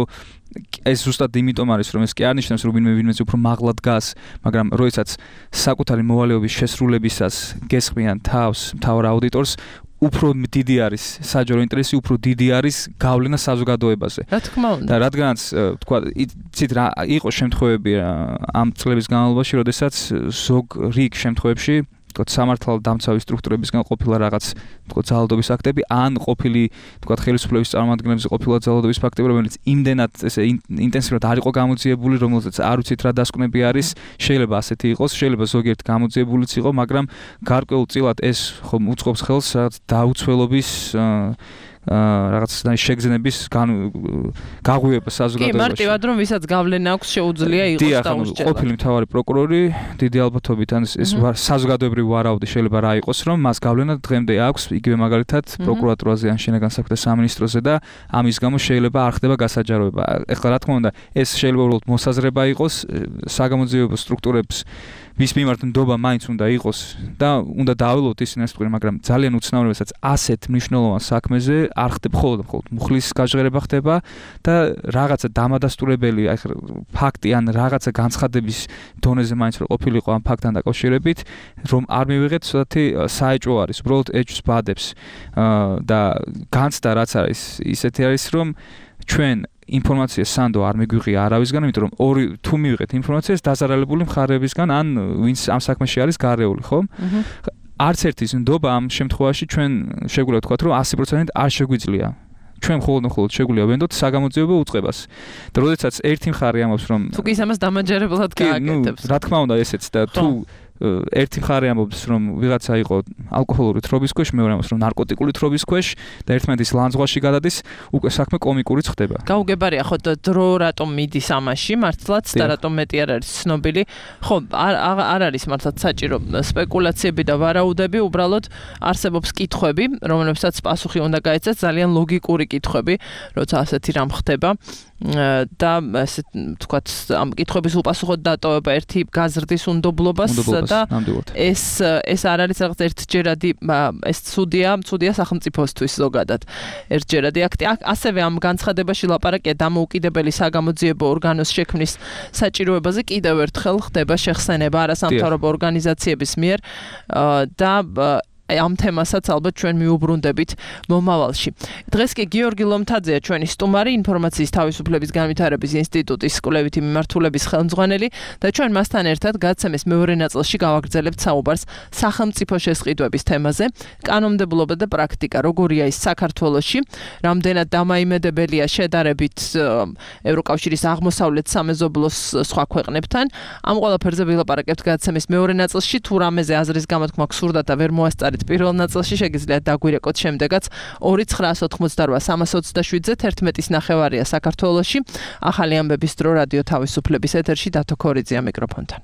ეს ზუსტად იმიტომ არის, რომ ეს კი არ ნიშნავს, რომ ვინმე ვინმეზე უფრო მაღლად დგას, მაგრამ როდესაც საკუთარი მოვალეობის შესრულებისას გესხმიან თავს მთავარ აუდიტორს, უფრო დიდი არის საჯარო ინტერესი, უფრო დიდი არის გავლენა საზოგადოებაზე. რა თქმა უნდა. და რადგანაც თქვა, იცით რა იყო შემთხვევები ამ წლების განმავლობაში, როდესაც ზოგ რიგ შემთხვევებში თქო სამართალდამცავი სტრუქტურებისგან ყოფილა რაღაც თქო ძალადობის აქტები, ან ყოფილი თქო ხელისუფლების წარმომადგენლებზე ყოფილა ძალადობის ფაქტები, რომელიც იმდენად ესე ინტენსიურად არ იყო გამოძიებული, რომელზეც არ ვიცით რა დასკვნები არის, შეიძლება ასეთი იყოს, შეიძლება ზოგიერთ გამოძიებულიც იყო, მაგრამ გარკვეულწილად ეს ხომ უწყობს ხელს რაღაც დაუცველობის რაღაც შეგრძნების გაღვივება საზოგადოებაში. კი, მარტივად რომ ვისაც გავლენა აქვს შეუძლია იყოს დაუსჯელად. ყოფილი მთავარი პროკურორი დიდი ალბათობით ან ეს საზოგადოებრივი ვარაუდი შეიძლება რა იყოს, რომ მას გავლენა დღემდე აქვს, იგივე მაგალითად პროკურატურაზე ან შინაგან საქმეთა სამინისტროზე და ამის გამო შეიძლება არ ხდება გასაჯაროება. ეხლა რა თქმა უნდა, ეს შეიძლება უბრალოდ მოსაზრება იყოს, საგამოძიებო სტრუქტურებს ვის მიმართ ნდობა მაინც უნდა იყოს და უნდა დაავალოთ ისინი ეს თქვენ, მაგრამ ძალიან უცნაური, რასაც ასეთ მნიშვნელოვან საქმეზე არ ხდება მხოლოდ მხოლოდ მუხლის გაჟღერება ხდება და რაღაცა დამადასტურებელი აი ფაქტი ან რაღაცა განცხადების დონეზე მაინც რო ყოფილიყო ამ ფაქტთან დაკავშირებით, რომ არ მივიღეთ ცოტათი საეჭვო არის, უბრალოდ ეჭვს ბადებს და განცდა რაც არის ისეთი არის, რომ ჩვენ ინფორმაცია სანდო არ მიგვიღია არავისგან, იმიტომ რომ ორი თუ მივიღეთ ინფორმაციას დაზარალებული მხარეებისგან ან ვინც ამ საქმეში არის გარეული, ხო? არც ერთის ნდობა ამ შემთხვევაში ჩვენ შეგვიძლია ვთქვათ, რომ ასი პროცენტით არ შეგვიძლია. ჩვენ მხოლოდ მხოლოდ შეგვიძლია ვენდოთ საგამოძიებო უწყებას. და როდესაც ერთი მხარე ამბობს, რომ თუ კი ამას დამაჯერებლად გააკეთებს. რა თქმა უნდა ესეც და თუ ერთი მხარე ამბობს რომ ვიღაცა იყო ალკოჰოლური თრობის ქვეშ, მეორე ამბობს რომ ნარკოტიკული თრობის ქვეშ და ერთმანეთის ლანძღვაში გადადის, უკვე საქმე კომიკურიც ხდება. გაუგებარია ხო დრო რატომ მიდის ამაში მართლაც და რატომ მეტი არ არის ცნობილი. ხო არ არ არის მართლაც საჭირო სპეკულაციები და ვარაუდები, უბრალოდ არსებობს კითხვები, რომლებსაც პასუხი უნდა გაეცეს, ძალიან ლოგიკური კითხვები, როცა ასეთი რამ ხდება. და ესე თქვათ ამ კითხვების უპასუხოდ დატოვება ერთი გაზრდის უნდობლობას და ეს ეს არ არის რაღაც ერთჯერადი ეს ცუდია ცუდია სახელმწიფოსთვის ზოგადად ერთჯერადი აქტი ასევე ამ განცხადებაში ლაპარაკია დამოუკიდებელი საგამოძიებო ორგანოს შექმნის საჭიროებაზე კიდევ ერთხელ ხდება შეხსენება არასამთავრობო ორგანიზაციების მიერ და ამ თემასაც ალბათ ჩვენ მიუბრუნდებით მომავალში. დღეს კი გიორგი ლომთაძეა ჩვენი სტუმარი, ინფორმაციის თავისუფლების განვითარების ინსტიტუტის კვლევითი მიმართულების ხელმძღვანელი და ჩვენ მასთან ერთად გაცემის მეორე ნაწილში გავაგრძელებთ საუბარს სახელმწიფო შესყიდვების თემაზე, კანონმდებლობა და პრაქტიკა როგორია ის საქართველოში, რამდენად დამაიმედებელია შედარებით ევროკავშირის აღმოსავლეთ სამეზობლოს სხვა ქვეყნებთან. ამ ყველაფერზე ვილაპარაკებთ გაცემის მეორე ნაწილში, თუ რამეზე აზრის გამოთქმა გსურდათ და ვერ მოასწარეთ პირველ ნაწილში შეგიძლიათ დაგვირეკოთ შემდეგაც ორი ცხრაას ოთხმოცდარვა სამას ოცდაშვიდზე თერთმეტის ნახევარია საქართველოში. ახალი ამბების დრო რადიო თავისუფლების ეთერში დათო ქორიძეა მიკროფონთან.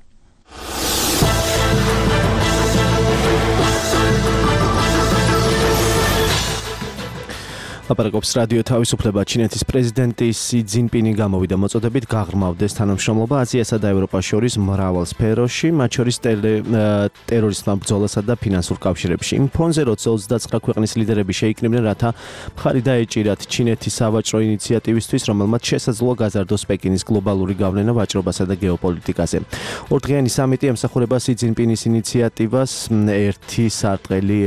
ლაპარაკობს რადიო თავისუფლება. ჩინეთის პრეზიდენტი სი ძინპინი გამოვიდა მოწოდებით გაღრმავდეს თანამშრომლობა აზიასა და ევროპას შორის მრავალ სფეროში, მათ შორის ტერორიზმთან ბრძოლასა და ფინანსურ კავშირებში. იმ ფონზე როცა ოცდაცხრა ქვეყნის ლიდერები შეიკრიბნენ, რათა მხარი დაეჭირათ ჩინეთის სავაჭრო ინიციატივისთვის, რომელმაც შესაძლოა გაზარდოს პეკინის გლობალური გავლენა ვაჭრობასა და გეოპოლიტიკაზე. ორდღიანი სამიტი ემსახურება სი ძინპინის ინიციატივას ერთი სარტყელი,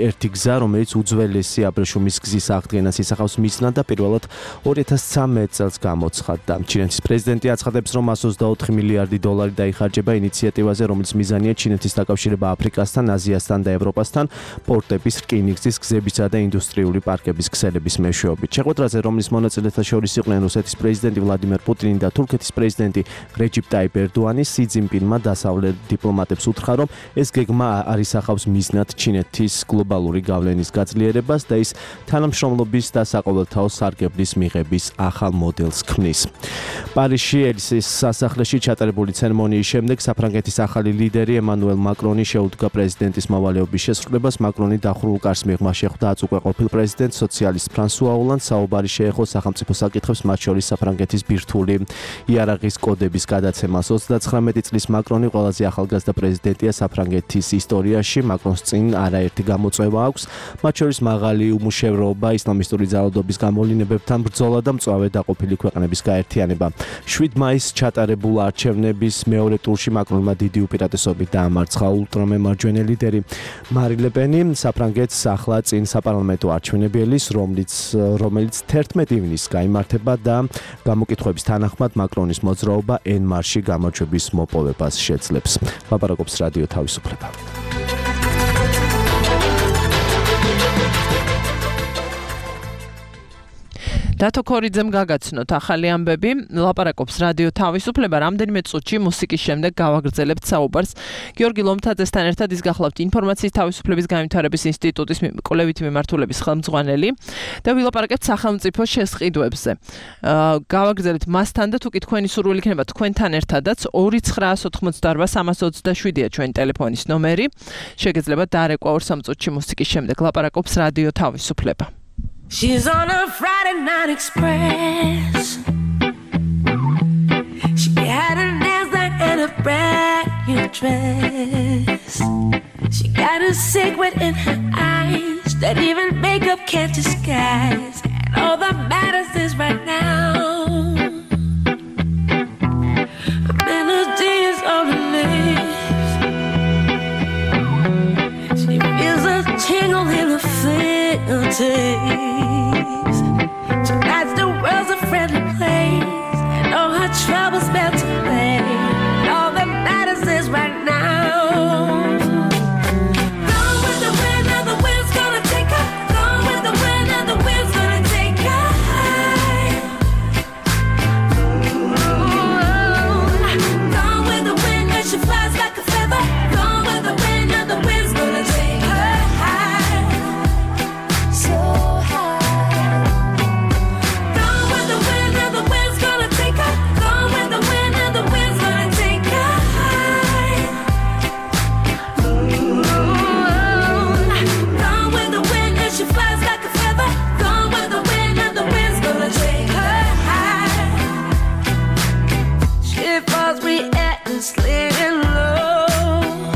ერთი გზა, რომელიც უძველესი აბრეშუმის გზის აღდგენა ისახავს მიზნად და პირველად ორი ათას ცხრამეტ წელს გამოცხადდა. ჩინეთის პრეზიდენტი აცხადებს, რომ εκατს ოცდაოთხი მილიარდი დოლარი დაიხარჯება ინიციატივაზე, რომელიც მიზანია ჩინეთის დაკავშირება აფრიკასთან, აზიასთან და ევროპასთან, პორტების, რკინიგზის, გზებისა და ინდუსტრიული პარკების ქსელების მეშვეობით. შეხვედრაზე, რომლის მონაწილეთა შორის იყვნენ რუსეთის პრეზიდენტი ვლადიმერ პუტინი და თურქეთის პრეზიდენტი რეჯიპ ტაიპ ერდოანი, სი ძინპინმა დასავლეთ დიპლომატებს უთხრა, რომ ეს გეგმა არ ისახავს მიზნად ჩინეთის გლობალური გავლენის გაძლიერებას და ის თანამშრომლობის და საყოველთაო სარგებლის მიღების ახალ მოდელს ქმნის. პარიზში ელისის სასახლეში ჩატარებული ცერემონიის შემდეგ საფრანგეთის ახალი ლიდერი ემანუელ მაკრონი შეუდგა პრეზიდენტის მოვალეობის შესრულებას. მაკრონი დახურულ კარს მიღმა შეხვდა აწუყვე ყოფილ პრეზიდენტ სოციალისტ ფრანსუა ოლანდს. საუბარი შეეხო სახელმწიფო საკითხებს, მათ შორის საფრანგეთის ბირთვული იარაღის კოდების გადაცემას. ოცდაცხრამეტი წლის მაკრონი ყველაზე ახალგაზრდა პრეზიდენტია საფრანგეთის ისტორიაში. მაკრონს წინ არაერთი გამოწვევა აქვს, მათ შორის მაღალი უმუშევრობა, ისლამისტური ძალადობის გამოვლინებებთან ბრძოლა და მწვავე დაყოფილი ქვეყნების გაერთიანება. შვიდ მაისს ჩატარებულ არჩევნების მეორე ტურში მაკრონმა დიდი უპირატესობით დაამარცხა ულტრამემარჯვენე ლიდერი მარი ლე პენი. საფრანგეთს ახლა წინ საპარლამენტო არჩევნები ელის, რომელიც რომელიც თერთმეტი ივნისს გაიმართება და გამოკითხვების თანახმად მაკრონის მოძრაობა ენ მარში გამარჯვების მოპოვებას შეძლებს. ლაპარაკობს რადიო თავისუფლება. დათო ქორიძემ გაგაცნოთ ახალი ამბები, ლაპარაკობს რადიო თავისუფლება. რამდენიმე წუთში მუსიკის შემდეგ გავაგრძელებთ საუბარს გიორგი ლომთაძესთან ერთად. ის გახლავთ ინფორმაციის თავისუფლების განვითარების ინსტიტუტის კვლევითი მიმართულების ხელმძღვანელი და ვილაპარაკებთ სახელმწიფო შესყიდვებზე. გავაგრძელებთ მასთან და თუ კი თქვენი სურვილი იქნება თქვენთან ერთადაც ორი ცხრაას ოთხმოცდარვა სამას ოცდაშვიდია ჩვენი ტელეფონის ნომერი. შეგეძლებათ დაარეკვა ორ სამ წუთში მუსიკის შემდეგ. ლაპარაკობს რადიო თავისუფლება. She's on a Friday night express. She had her nails done and a brand new dress. She got a secret in her eyes that even makeup can't disguise. And all that matters is right now. A melody is on her lips. She feels a tingle in her fingertips. Tonight's the world's a friendly place, and all her troubles melt away. And all that matters is right now. Gone with the wind, and the wind's gonna take her. Gone with the wind, and the wind's gonna take her high. cause we endlessly in love.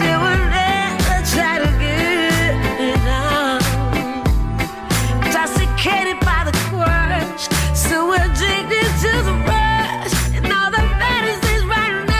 They would never try to get me down. Intoxicated by the crush, so addicted to the rush, and all that matters is right now.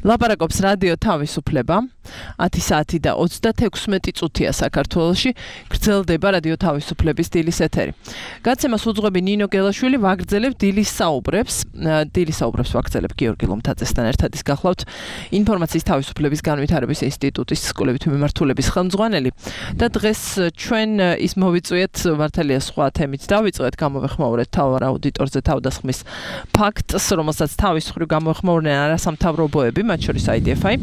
ლაპარაკობს რადიო თავისუფლება ათი საათი და ოცდათექვსმეტი წუთია საქართველოში გრძელდება რადიო თავისუფლების დილის ეთერი. გაცემას უძღვები ნინო გელაშვილი ვაგრძელებ დილის საუბრებს. დილის საუბრებს ვაგრძელებ გიორგი ლომთაძესთან ერთად ის გახლავთ ინფორმაციის თავისუფლების განვითარების ინსტიტუტის კვლევითი მიმართულების ხელმძღვანელი და დღეს ჩვენ ის მოვიწვიეთ მართალია სხვა თემით დავიწყეთ გამოვეხმაურეთ თავარ აუდიტორზე თავდასხმის ფაქტს რომელსაც თავის მხრივ გამოვეხმაურნენ არასამთავრობოები მათ შორის აი დი ეფ აი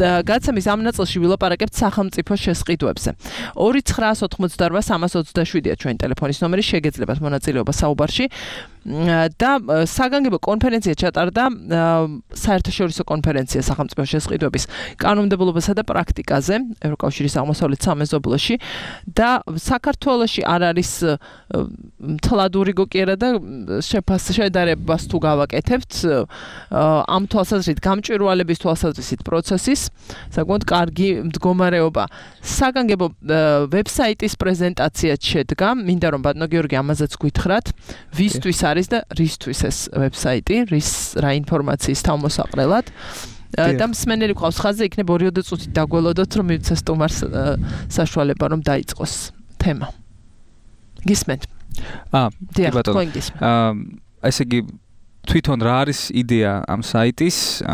და გაცემის ამ ნაწილში ვილაპარაკებთ სახელმწიფო შესყიდვებზე. ორი ცხრაას ოცდაოთხმოცდაორვა სამას ოცდაშვიდია ჩვენი ტელეფონის ნომერი შეგეძლებათ მონაწილეობა საუბარში და საგანგებო კონფერენცია ჩატარდა საერთაშორისო კონფერენცია სახელმწიფო შესყიდვების კანონმდებლობასა და პრაქტიკაზე ევროკავშირის აღმოსავლეთ სამეზობლოში და საქართველოში არ არის თლადური გოკიერა და შედარებას თუ გავაკეთებთ ამ თვალსაზრისით გამჭვირვალების თვალსაზრისით პროცესის საკმაოდ კარგი მდგომარეობა. საგანგებო ვებსაიტის პრეზენტაციაც შედგა. მინდა რომ ბატონო გიორგი ამაზეც გითხრათ ვისთვის არის და რისთვის ეს ვებსაიტი, რის რა ინფორმაციის თავმოსაყრელად. და მსმენელი ყავს ხაზზე იქნებ ორი წუთით დაგველოდოთ რომ მივცეს სტუმარს საშუალება რომ დაიწყოს თემა. გისმენთ? აა, ბატონო. აა, ესე იგი თვითონ რა არის იდეა ამ საიტის?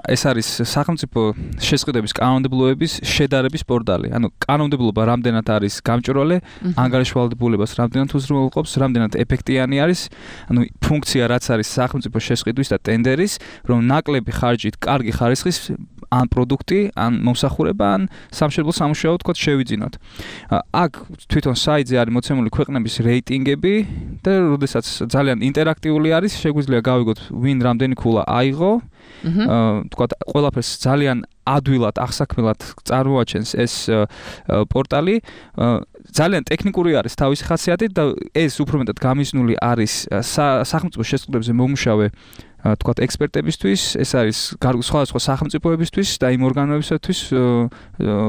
ეს არის სახელმწიფო შესყიდვების კანონმდებლობების შედარების პორტალი. ანუ კანონმდებლობა რამდენად არის გამჭვირვალე, ანგარიშვალდებულებას რამდენად უზრუნველყოფს, რამდენად ეფექტიანი არის, ანუ ფუნქცია რაც არის სახელმწიფო შესყიდვის და ტენდერის, რომ ნაკლები ხარჯით კარგი ხარისხის ან პროდუქტი, ან მომსახურება, ან სამშენებლო სამუშაო თქო შევიძინოთ. აქ თვითონ საიტზე არის მოცემული ქვეყნების რეიტინგები და როდესაც ძალიან ინტერაქტიული არის, შეგვიძლია გავიგოთ ვინ რამდენი ქულა აიღო. თქო ყველაფერს ძალიან ადვილად აღსაქმელად წარმოაჩენს ეს პორტალი. ძალიან ტექნიკური არის თავისი ხასიათით და ეს უფრო მეტად გამიზნული არის სახელმწიფო შესყიდვებზე მომუშავე თქვათ ექსპერტებისთვის, ეს არის სხვადასხვა სახელმწიფოებისთვის და იმ ორგანოებისთვის,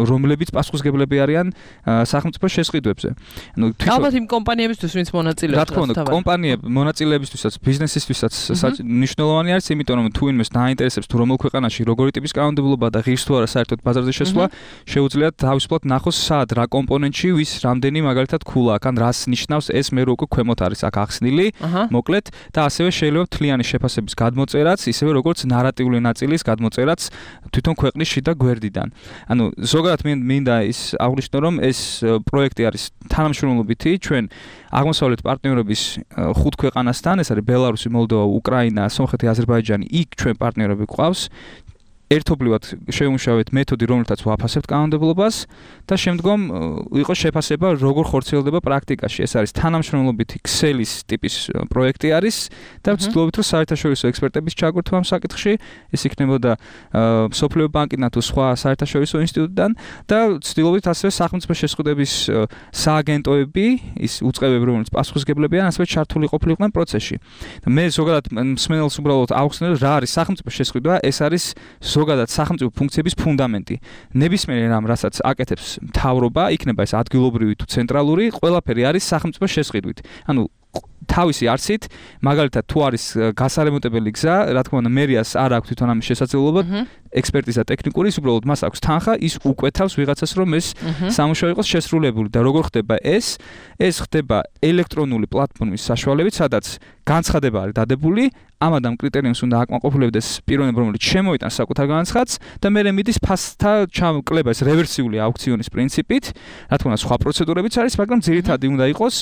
რომლებიც პასუხისმგებლები არიან სახელმწიფო შესყიდვებზე. ანუ ალბათ იმ კომპანიებისთვის, ვინც მონაწილეობს. რა თქმა უნდა, კომპანიები მონაწილეებისთვისაც, ბიზნესისთვისაც მნიშვნელოვანი არის, იმიტომ რომ თუ ინვეს დაინტერესებს თუ რომელ ქვეყანაში როგორი ტიპის კანონმდებლობა და ღირს თუ არა საერთოდ ბაზარზე შესვლა, შეუძლიათ თავისუფლად ნახოს სად რა კომპონენტში ვის რამდენი მაგალითად ქულა აქვს, ან რას ნიშნავს ეს მე რო უკვე ქვემოთ არის აქ ახსნილი, მოკლედ და ასევე შეიძლება თლიანი შეფასების გადმოწერაც, ისევე როგორც ნარატიული ნაწილის გადმოწერაც თვითონ ქვეყნის შიდა გვერდიდან. ანუ ზოგადად მინდა ის აღნიშნო, რომ ეს პროექტი არის თანამშრომლობითი ჩვენ აღმოსავლეთ პარტნიორების ხუთ ქვეყანასთან, ეს არის ბელარუსი, მოლდოვა, უკრაინა, სომხეთი, აზერბაიჯანი, იქ ჩვენ პარტნიორები გვყავს. ერთობლივად შევიმუშავეთ მეთოდი, რომელთაც ვაფასებთ კანონმდებლობას და შემდგომ იყო შეფასება, როგორ ხორციელდება პრაქტიკაში. ეს არის თანამშრომლობითი ქსელის ტიპის პროექტი არის და ვცდილობთ, რომ საერთაშორისო ექსპერტების ჩაგვერთვა ამ საკითხში, ეს იქნებოდა მსოფლიო ბანკიდან თუ სხვა საერთაშორისო ინსტიტუტიდან და ვცდილობთ ასევე სახელმწიფო შესყიდვების სააგენტოები, ის უწყებები, რომელიც პასუხისმგებლებიან, ასევე ჩართული ყოფილიყვნენ პროცესში. და მე ზოგადად მსმენელს უბრალოდ ავხსნელ, რა არის სახელმწიფო შესყიდვა, ეს არის ზოგადად სახელმწიფო ფუნქციების ფუნდამენტი. ნებისმიერ რამ, რასაც აკეთებს მთავრობა, იქნება ეს ადგილობრივი თუ ცენტრალური, ყველაფერი არის სახელმწიფო შესყიდვით. ანუ თავისი არსით, მაგალითად, თუ არის გასარემონტებელი გზა, რა თქმა უნდა, მერიას არ აქვს თვითონ ამის შესაძლებლობა, ექსპერტიზა ტექნიკური, ის უბრალოდ მას აქვს თანხა, ის უკვეთავს ვიღაცას, რომ ეს სამუშაო იყოს შესრულებული და როგორ ხდება ეს? ეს ხდება ელექტრონული პლატფორმის საშუალებით, სადაც განცხადება არის დადებული, ამ ადამ კრიტერიუმს უნდა აკმაყოფილებდეს პიროვნება, რომელიც შემოიტანს საკუთარ განცხადს და მერე მიდის ფასთა ჩამკლება, ეს რევერსიული აუქციონის პრინციპით, რა თქმა უნდა, სხვა პროცედურებიც არის, მაგრამ ძირითადი უნდა იყოს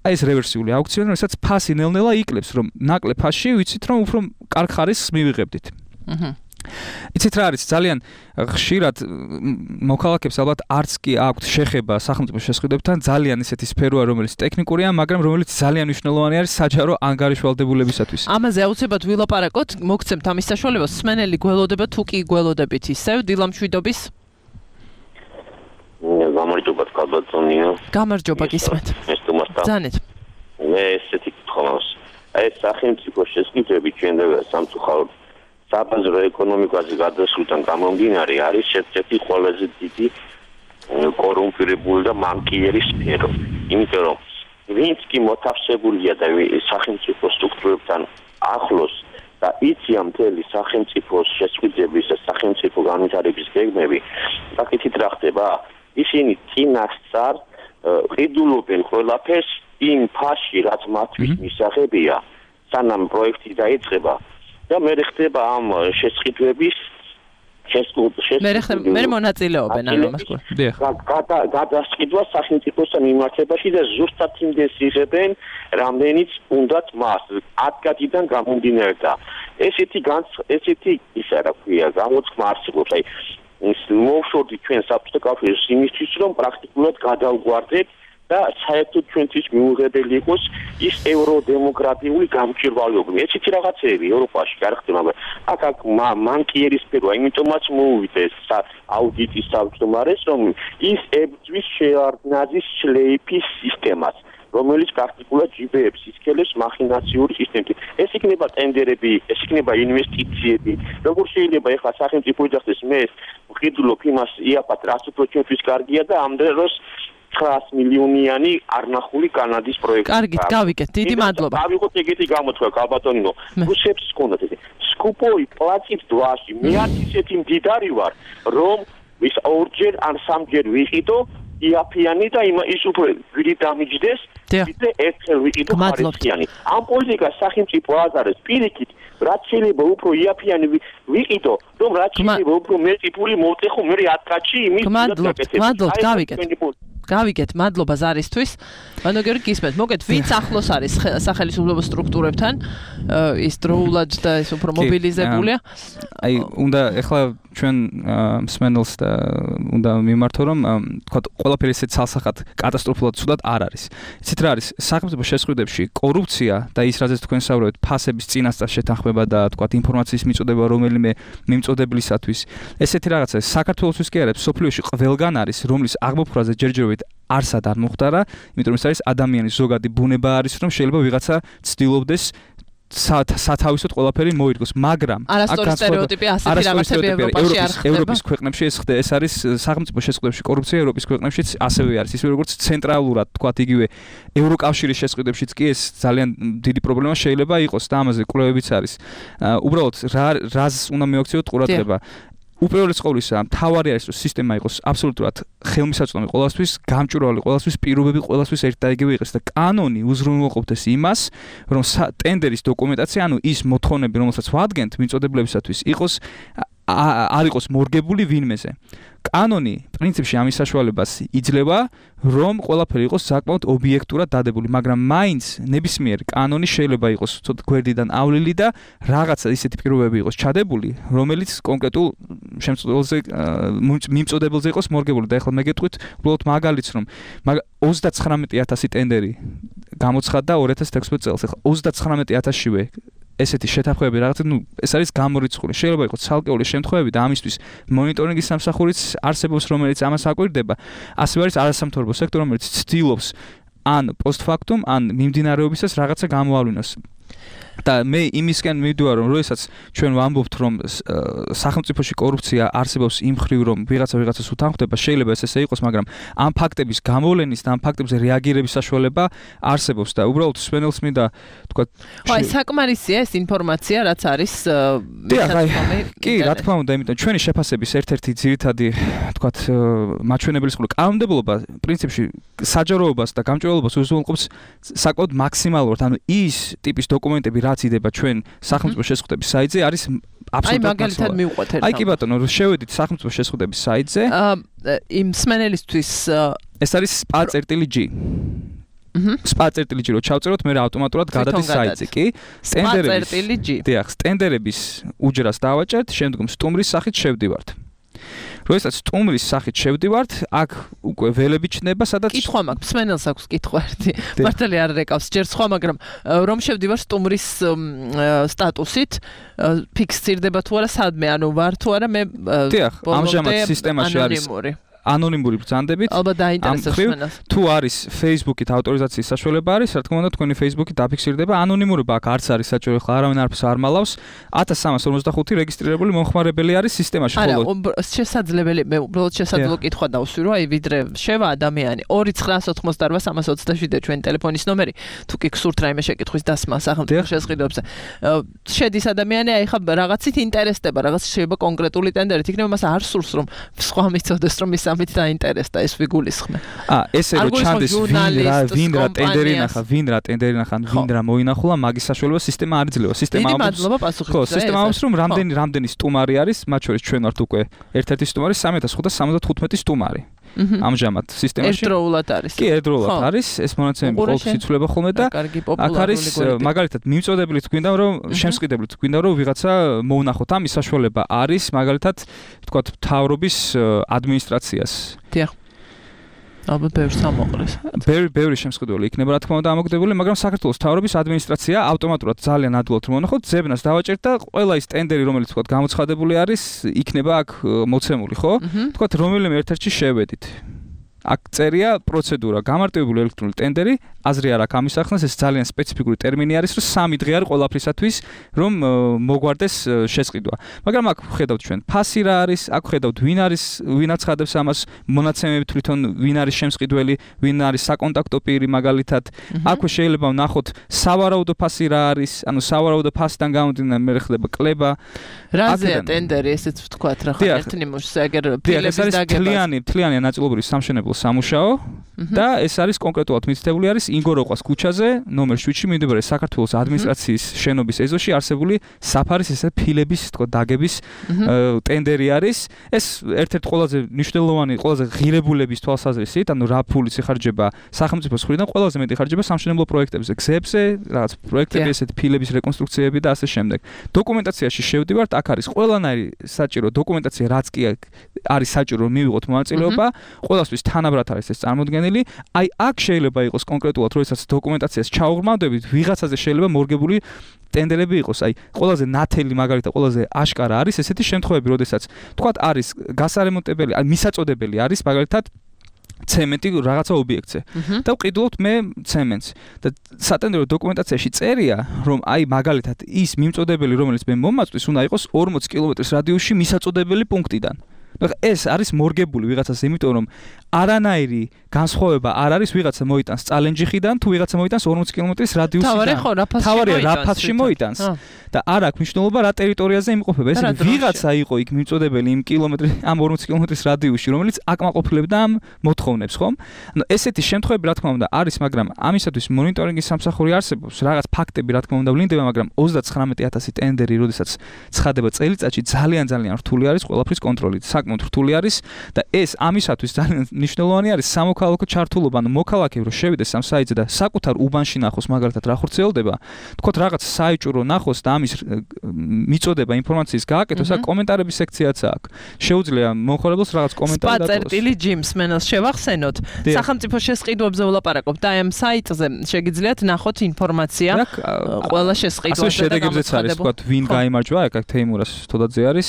აი ეს რევერსიული აუქციონი, რომელსაც ფასი ნელ-ნელა იკლებს, რომ ნაკლებ ფასში ვიცით, რომ უფრო კარგ ხარისხს მივიღებდით. აჰა. იცით რა არის, ძალიან ხშირად მოქალაქეებს ალბათ არც კი აქვთ შეხება სახელმწიფო შესყიდვებთან, ძალიან ისეთი სფეროა, რომელიც ტექნიკურია, მაგრამ რომელიც ძალიან მნიშვნელოვანი არის საჯარო ანგარიშვალდებულებისათვის. ამაზე აუცილებლად ვილაპარაკოთ, მოგცემთ ამის საშუალებას, მსმენელი გველოდება თუ კი გველოდებით ისევ დილამშვიდობის? გამარჯობა კაბატონიო. გამარჯობა გისმენთ. ეს თუმცა ძანეთ. მე ესეთი გქონავს. ეს სახელმწიფო შესყიდვები ჩვენდება სამწუხაროდ საბაზრო ეკონომიკაზე გადასვლიდან გამომდინარე არის ერთ-ერთი ყველაზე დიდი კორუმპირებული და მანკიერი სფერო. იმიტომ რომ ვინც კი მოთავსებულია და სახელმწიფო სტრუქტურებთან ახლოს და იციან მთელი სახელმწიფოს შესყიდვების და სახელმწიფო განვითარების გეგმები, საკითხით რა ხდება? ისინი წინასწარ ყიდულობენ ყველაფერს იმ ფასში, რაც მათთვის მისაღებია, სანამ პროექტი დაიწყება და მე ხდება ამ შესყიდვების მე მონაწილეობენ ამ ამას. გადასყიდვა სახელმწიფოსთან მიმართებაში და ზუსტად იმდეს იღებენ, რამდენიც უნდათ მას ადგილიდან გამომდინარე და ესეთი ესეთი ისა რა ქვია, გამოცხმა არსებობს, აი ის მოვშორდით ჩვენ საბჭოთა კავშირის იმისთვის, რომ პრაქტიკულად გადავგვარდეთ და საერთოდ ჩვენთვის მიუღებელი იყოს ის ევროდემოკრატიული გამჭვირვალეობა. ესეთი რაღაცეები ევროპაში არ ხდება, მაგრამ აქ აქ მანკიერი სფეროა, იმიტომაც მოუვიდა ეს აუდიტის თავმჯდომარეს, რომ ის ებრძვის შეარდნაძის შლეიფის სისტემას, რომელიც პრაქტიკულად ჯიბეებს ისქელებს მახინაციური სისტემით. ეს იქნება ტენდერები, ეს იქნება ინვესტიციები. როგორ შეიძლება ეხლა სახელმწიფო იძახდეს მე ვყიდულობ იმას იაპათ, რაც უფრო ჩვენთვის კარგია და ამ დროს ცხრაას მილიონიანი არნახული კანადის პროექტი. კარგით, გავიგეთ. დიდი მადლობა. დავიღოთ ეგეთი გამოთქვა კაბატონინო. რუსებს ჰქონდათ ეს სკუპოი პლატით დვაში. მე არ ისეთი მდიდარი ვარ, რომ ის ორჯერ ან სამჯერ ვიყიდო იაფიანი და იმ ის უფრო გვირი დამიჯდეს, ვიდრე ერთხელ ვიყიდო ხარისხიანი. ამ პოლიტიკას სახელმწიფო აზარებს პირიქით, რაც შეიძლება უფრო იაფიანი ვიყიდო, რომ რაც შეიძლება უფრო მეტი პული მოვტეხო მე ათ კაცი იმის გმადლობთ, გმადლობთ, გავიგეთ. გავიგეთ, მადლობა ზარისთვის. ანუ გიორგი გისმენთ, მოგეთ, ვინც ახლოს არის სახელმწიფო სტრუქტურებთან, ის დროულად და ის უფრო მობილიზებულია. აი, უნდა ეხლა ჩვენ მსმენელს და უნდა მიმართო, რომ თქვა ყველაფერი ისეთ ცალსახად კატასტროფულად ცუდად არ არის. იცით რა არის, სახელმწიფო შესყიდვებში კორუფცია და ის რაზეც თქვენ საუბრობთ, ფასების წინასწარ შეთანხმება და თქვა ინფორმაციის მიწოდება რომელიმე მიმწოდებლისათვის. ესეთი რაღაცა საქართველოსთვის კი არის, სოფლიოში ყველგან არის, რომლის აღმოფხვრაზე ჯერჯერობით არსად არ მოხდარა, იმიტომ რომ ეს არის ადამიანის ზოგადი ბუნება არის, რომ შეიძლება ვიღაცა ცდილობდეს სათავისოდ ყველაფერი მოირგოს, მაგრამ არასწორი სტერეოტიპი ასეთი რაღაცები ევროპაში არ ხდება. ევროპის ქვეყნებში ეს ხდება, ეს არის სახელმწიფო შესყიდვებში კორუფცია ევროპის ქვეყნებშიც ასევე არის, ისე როგორც ცენტრალურად, თქვათ იგივე ევროკავშირის შესყიდვებშიც კი ეს ძალიან დიდი პრობლემა შეიძლება იყოს და ამაზე კვლევებიც არის. უბრალოდ რა რაზს უნდა მივაქციოთ ყურადღება. უპირველეს ყოვლისა, მთავარი არის, რომ სისტემა იყოს აბსოლუტურად ხელმისაწვდომი ყველასთვის, გამჭვირვალე ყველასთვის, პირობები ყველასთვის ერთ და იგივე იყოს და კანონი უზრუნველყოფდეს იმას, რომ ტენდერის დოკუმენტაცია, ანუ ის მოთხოვნები, რომელსაც ვადგენთ მიწოდებლებისათვის, იყოს არ იყოს მორგებული ვინმეზე. კანონი პრინციპში ამის საშუალებას იძლევა, რომ ყველაფერი იყოს საკმაოდ ობიექტურად დადებული, მაგრამ მაინც ნებისმიერი კანონი შეიძლება იყოს ცოტა გვერდიდან ავლილი და რაღაცა ისეთი პირობები იყოს ჩადებული, რომელიც კონკრეტულ შემწყვილზე მიმწოდებელზე იყოს მორგებული. და ეხლა მე გეტყვით უბრალოდ მაგალითს, რომ ოცდაცხრამეტი ათასი ტენდერი გამოცხადდა ორი ათას თექვსმეტ წელს. ეხლა ოცდაცხრამეტი ათასშივე ესეთი შეთანხმებები რაღაცა, ნუ ეს არის გამორიცხული. შეიძლება იყოს ცალკეული შემთხვევები და ამისთვის მონიტორინგის სამსახურიც არსებობს, რომელიც ამას აკვირდება. ასევე არის არასამთავრობო სექტორი, რომელიც ცდილობს ან პოსტფაქტუმ, ან მიმდინარეობისას რაღაცა გამოავლინოს. და მე იმისკენ მივდივარ, რომ როდესაც ჩვენ ვამბობთ, რომ სახელმწიფოში კორუფცია არსებობს იმ მხრივ, რომ ვიღაცა ვიღაცას უთანხმდება, შეიძლება ეს ესე იყოს, მაგრამ ამ ფაქტების გამოვლენის და ამ ფაქტებზე რეაგირების საშუალება არსებობს და უბრალოდ სვენელს მინდა თქვა აი საკმარისია ეს ინფორმაცია, რაც არის კი, რა თქმა უნდა, იმიტომ ჩვენი შეფასების ერთ-ერთი ძირითადი თქვა მაჩვენებლის ყურე კანონმდებლობა პრინციპში საჯაროობას და გამჭვირვალობას უზრუნველყოფს საკმაოდ მაქსიმალურად, ანუ ის ტიპის დოკუმენტები რაც იდება ჩვენ სახელმწიფო შეზღუდების საიტზე არის აბსოლუტურად აი მაგალითად მივყვეთ ერთ. აი კი ბატონო, შევედით სახელმწიფო შეზღუდების საიტზე. იმ სმენელისთვის ეს არის spa.g. spa.g რო ჩავწეროთ, მე ავტომატურად გადადის საიტზე, კი? spa.g. დიახ, სტენდერების უჯრას დავაჭერთ, შემდგომ სტუმრის სახით შევდივართ. როდესაც სტუმრის სახით შევდივართ, აქ უკვე ველები ჩნდება, სადაც კითხვა მაქვს, მსმენელს აქვს კითხვა ერთი. მართალი არ რეკავს, ჯერ სხვა, მაგრამ რომ შევდივარ სტუმრის სტატუსით, ფიქსირდება თუ არა სადმე, ანუ ვარ თუ არა მე დიახ, ამჟამად სისტემაში არის ანონიმური ბრძანდებით. ალბათ დაინტერესებს მსმენელს. თუ არის Facebook-ით ავტორიზაციის საშუალება არის, რა თქმა უნდა, თქვენი Facebook-ით დაფიქსირდება. ანონიმურობა აქ არც არის საჭირო, ხა არავინ არაფერს არ მალავს. ათას სამას ორმოცდახუთი რეგისტრირებული მომხმარებელი არის სისტემაში, ხოლო არა, შესაძლებელი, მე უბრალოდ შესაძლო კითხვა დავსვირო, აი ვიდრე შევა ადამიანი ორი ცხრაას ოთხმოცდაარბა სამას ოცდაშვიდი ჩვენი ტელეფონის ნომერი, თუ კი გსურთ რაიმე შეკითხვის დასმა სახელმწიფო შეზღუდვებზე. შედის ადამიანი, აი ხა რაღაცით ინტერესდება, რაღაც შეიძლება კონკრეტული ტენდერით, იქნება მას არ სურს რომ სხვა მიწოდეს რომ ის მით დაინტერესდა ეს ვიგულისხმე. აა ესე რომ ჩანდეს ვინ რა ვინ რა ტენდერი ნახა, ვინ რა ტენდერი ნახა, ვინ რა მოინახულა, მაგის საშუალება სისტემა არ იძლევა. სისტემა ამბობს, ხო, სისტემა ამბობს, რომ რამდენი რამდენი სტუმარი არის, მათ შორის ჩვენ ვართ უკვე ერთ-ერთი სტუმარი, სამი ათას ხუთას სამოცდათხუთმეტი სტუმარი. ამჟამად სისტემაში ერთდროულად არის. კი, ერთდროულად არის, ეს მონაცემები ყოველთვის იცვლება ხოლმე და აქ არის მაგალითად მიმწოდებლით გვინდა რომ შემსყიდებლით გვინდა რომ ვიღაცა მოუნახოთ, ამის საშუალება არის მაგალითად თქვა მთავრობის ადმინისტრაციას. დიახ. ალბათ ბევრს ამოყრეს. ბევრი ბევრი შემსყიდველი იქნება რა თქმა უნდა ამოგდებული, მაგრამ საქართველოს მთავრობის ადმინისტრაცია ავტომატურად ძალიან ადვილად მომნახოთ, ზებნას დავაჭერთ და ყველა ის ტენდერი რომელიც თქვა გამოცხადებული არის, იქნება აქ მოცემული, ხო? თქვა რომელიმე ერთ-ერთში შევედით. აქ წერია პროცედურა, გამარტივებული ელექტრონული ტენდერი, აზრი არ აქვს ამის ახსნას, ეს ძალიან სპეციფიკური ტერმინი არის, რომ სამი დღე არის ყველაფრისათვის, რომ მოგვარდეს შესყიდვა. მაგრამ აქ ხედავთ ჩვენ ფასი რა არის, აქ ხედავთ ვინ არის, ვინ აცხადებს ამას, მონაცემები თვითონ ვინ არის შემსყიდველი, ვინ არის საკონტაქტო პირი მაგალითად. აქვე შეიძლება ვნახოთ სავარაუდო ფასი რა არის, ანუ სავარაუდო ფასიდან გამომდინარე მე ხდება კლება. რაზეა ტენდერი, ესეც ვთქვათ რა ხარ ერთ ნიმუშზე, აგერ ფილების დაგებას. თლიანი, თლიანი ნაწილობრივი სამშენებლო სამუშაო და ეს არის კონკრეტულად მითითებული არის ინგოროყვას ქუჩაზე, ნომერ შვიდში მიმდებარე საქართველოს ადმინისტრაციის შენობის ეზოში არსებული საფარის ესე ფილების თქო დაგების ტენდერი არის. ეს ერთ-ერთი ყველაზე მნიშვნელოვანი, ყველაზე ღირებულების თვალსაზრისით, ანუ რა ფულიც იხარჯება სახელმწიფოს მხრიდან, ყველაზე მეტი იხარჯება სამშენებლო პროექტებზე, გზებზე, რაღაც პროექტები, ესეთ ფილების რეკონსტრუქციები და ასე შემდეგ. დოკუმენტაციაში შევდივართ, აქ არის ყველანაირი საჭირო დოკუმენტაცია, რაც კი არის საჭირო რომ მივიღოთ მონაწილეობა, ყველასთვის თანაბრად არის ეს წარმოდგენილი. აი აქ შეიძლება იყოს კონკრეტულად, როდესაც დოკუმენტაციას ჩაუღრმავდებით, ვიღაცაზე შეიძლება მორგებული ტენდერები იყოს. აი ყველაზე ნათელი მაგალითად, ყველაზე აშკარა არის ესეთი შემთხვევები, როდესაც თქვათ არის გასარემონტებელი, აი მისაწოდებელი არის მაგალითად ცემენტი რაღაცა ობიექტზე და ვყიდულობთ მე ცემენტს და სატენდერო დოკუმენტაციაში წერია რომ აი მაგალითად ის მიმწოდებელი რომელიც მე მომაწვის უნდა იყოს ორმოცი კილომეტრის რადიუსში მისაწოდებელი პუნქტიდან. ეს არის მორგებული ვიღაცას, იმიტომ რომ არანაირი განსხვავება არ არის ვიღაცა მოიტანს წალენჯიხიდან თუ ვიღაცა მოიტანს ორმოცი კილომეტრის რადიუსიდან. თავარი ხო რაფასში თავარია რა ფასში მოიტანს და არ აქვს მნიშვნელობა რა ტერიტორიაზე იმყოფება. ესე იგი ვიღაცა იყო იქ მიმწოდებელი იმ კილომეტრი ამ ორმოცი კილომეტრის რადიუსში, რომელიც აკმაყოფილებდა ამ მოთხოვნებს, ხომ? ანუ ესეთი შემთხვევები რა თქმა უნდა არის, მაგრამ ამისათვის მონიტორინგის სამსახური არსებობს, რაღაც ფაქტები რა თქმა უნდა ვლინდება, მაგრამ ოცდათხრამეტი ათასი ტენდერი, როდესაც ცხადება წელიწადში, ძალიან ძალიან რთული არის ყველაფრის კონტროლი, საკმაოდ რთული არის და ეს ამისათვის ძალიან მნიშვნელოვანი არის სამოქალაქო ჩართულობა, ანუ მოქალაქე რო შევიდეს ამ საიტზე და საკუთარ უბანში ნახოს მაგალითად რა ხორციელდება, თქოთ რაღაც საიჭურო ნახოს და ამის მიწოდება ინფორმაციის გააკეთოს, აქ კომენტარების სექციაც აქვს. შეუძლია მომხმარებელს რაღაც კომენტარი დატოვოს. სპაწერტილი ჯიმს მენელს შევახსენოთ. სახელმწიფო შესყიდვებზე ვლაპარაკობთ და ამ საიტზე შეგიძლიათ ნახოთ ინფორმაცია ყველა შესყიდვაზე და ასე შედეგებზეც არის, თქვათ, ვინ გაიმარჯვა, აქ თეიმურას თოდაძე არის,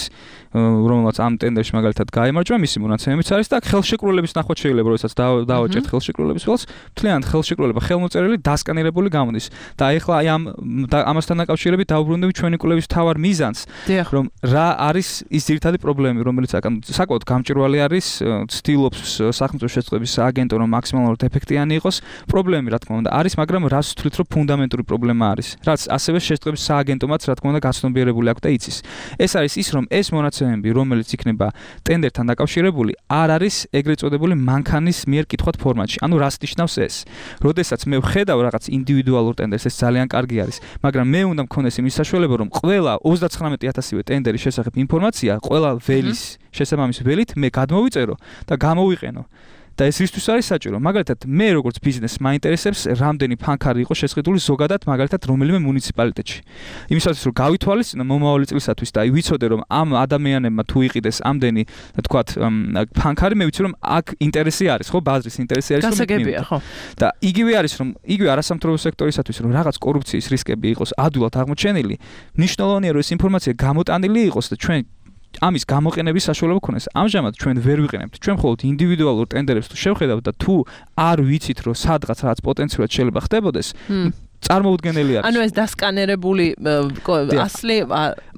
რომელსაც ამ ტენდერში მაგალითად გაიმარჯვა, მისი მონაცემებიც არის და ხელშეკრულების ნახვა შეიძლება, როდესაც დავაჭერთ ხელშეკრულების ველს, მთლიანად ხელშეკრულება ხელმოწერილი დასკანირებული გამოდის. და ეხლა აი ამ ამასთან დაკავშირებით დავუბრუნდები ჩვენი კვლევის მთავარ მიზანს, რომ რა არის ის ძირითადი პრობლემები, რომელიც აქ საკმაოდ გამჭვირვალე არის, ცდილობს სახელმწიფო შესწავლების სააგენტო რომ მაქსიმალურად ეფექტიანი იყოს. პრობლემები რა თქმა უნდა არის, მაგრამ რას ვთვლით, რომ ფუნდამენტური პრობლემა არის, რაც ასევე შესწავლების სააგენტომაც რა თქმა უნდა გაცნობიერებული აქვს და იცის. ეს არის ის, რომ ეს მონაცემები, რომელიც იქნება ტენდერთან დაკავშირებული, არ არის ეგრეთ წოდებული მანქანის მიერ კითხვა ფორმატში. ანუ რას ნიშნავს ეს? როდესაც მე ვხედავ რაღაც ინდივიდუალურ ტენდერს, ეს ძალიან კარგი არის, მაგრამ მე უნდა მქონდეს იმის საშუალება, რომ ყველა ოცდათხრამეტი ათასივე ტენდერის შესახებ ინფორმაცია, ყველა ველის შესაბამისი ველით მე გადმოვიწერო და გამოვიყენო. და ეს ისთვის არის საჭირო. მაგალითად, მე როგორც ბიზნესს მაინტერესებს, რამდენი ფანქარი იყო შესყიდული ზოგადად, მაგალითად, რომელიმე მუნიციპალიტეტში. იმისათვის, რომ გავითვალისწინო მომავალი წლისათვის და ვიცოდე, რომ ამ ადამიანებმა თუ იყიდეს ამდენი, თქვათ, ფანქარი, მე ვიცი, რომ აქ ინტერესი არის, ხო, ბაზრის ინტერესი არის, რომ გასაგებია, ხო. და იგივე არის, რომ იგივე არასამთავრობო სექტორისათვის, რომ რაღაც კორუფციის რისკები იყოს ადვილად აღმოჩენილი, მნიშვნელოვანია, რომ ეს ინფორმაცია გამოტანილი იყოს და ჩვენ ამის გამოყენების საშუალება ქონდეს. ამჟამად ჩვენ ვერ ვიყენებთ. ჩვენ მხოლოდ ინდივიდუალურ ტენდერებს თუ შევხედავთ და თუ არ ვიცით, რომ სადღაც რაღაც პოტენციურად შეიძლება ხდებოდეს, წარმოუდგენელი არის. ანუ ეს დასკანერებული ასლი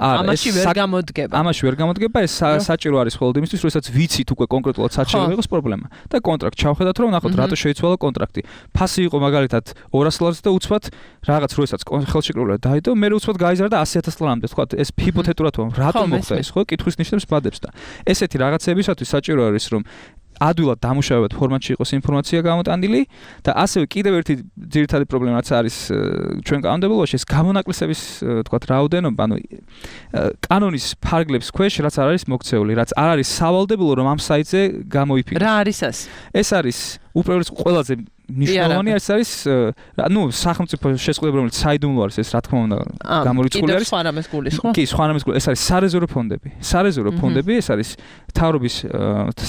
ამაში ვერ გამოდგება. ამაში ვერ გამოდგება, ეს საჭირო არის მხოლოდ იმისთვის, როდესაც ვიცით უკვე კონკრეტულად სად შეიძლება იყოს პრობლემა. და კონტრაქტ ჩავხედათ, რომ ნახოთ რატო შეიცვალა კონტრაქტი. ფასი იყო მაგალითად ორას ლარზე და უცბად რაღაც როდესაც ხელშეკრულება დაიდო, მე უცბად გაიზარდა ასი ათას ლარამდე. თქვათ, ეს ჰიპოთეტურად ვამ, რატო მოხდა ეს, ხო? კითხვის ნიშნებს ბადებს და ესეთი რაღაცებისათვის საჭირო არის, რომ ადვილად დამუშავებად ფორმატში იყოს ინფორმაცია გამოტანილი და ასევე კიდევ ერთი ძირითადი პრობლემა რაც არის ჩვენ კანონმდებლობაში, ეს გამონაკლისების თქვათ რაოდენობა, ანუ კანონის ფარგლებს ქვეშ რაც არ არის მოქცეული, რაც არ არის სავალდებულო რომ ამ საიტზე გამოიფიქროს. რა არის ეს? ეს არის უპირველეს ყველაზე ნიშნავანი ეს არის, ну, სახელმწიფო შესყიდვა, რომელიც საიდუმლო არის, ეს რა თქმა უნდა გამორიცხული არის. სხვა რამეს გულის, ხო? კი, სხვა რამეს გულის. ეს არის სარეზერვო ფონდები. სარეზერვო ფონდები, ეს არის მთავრობის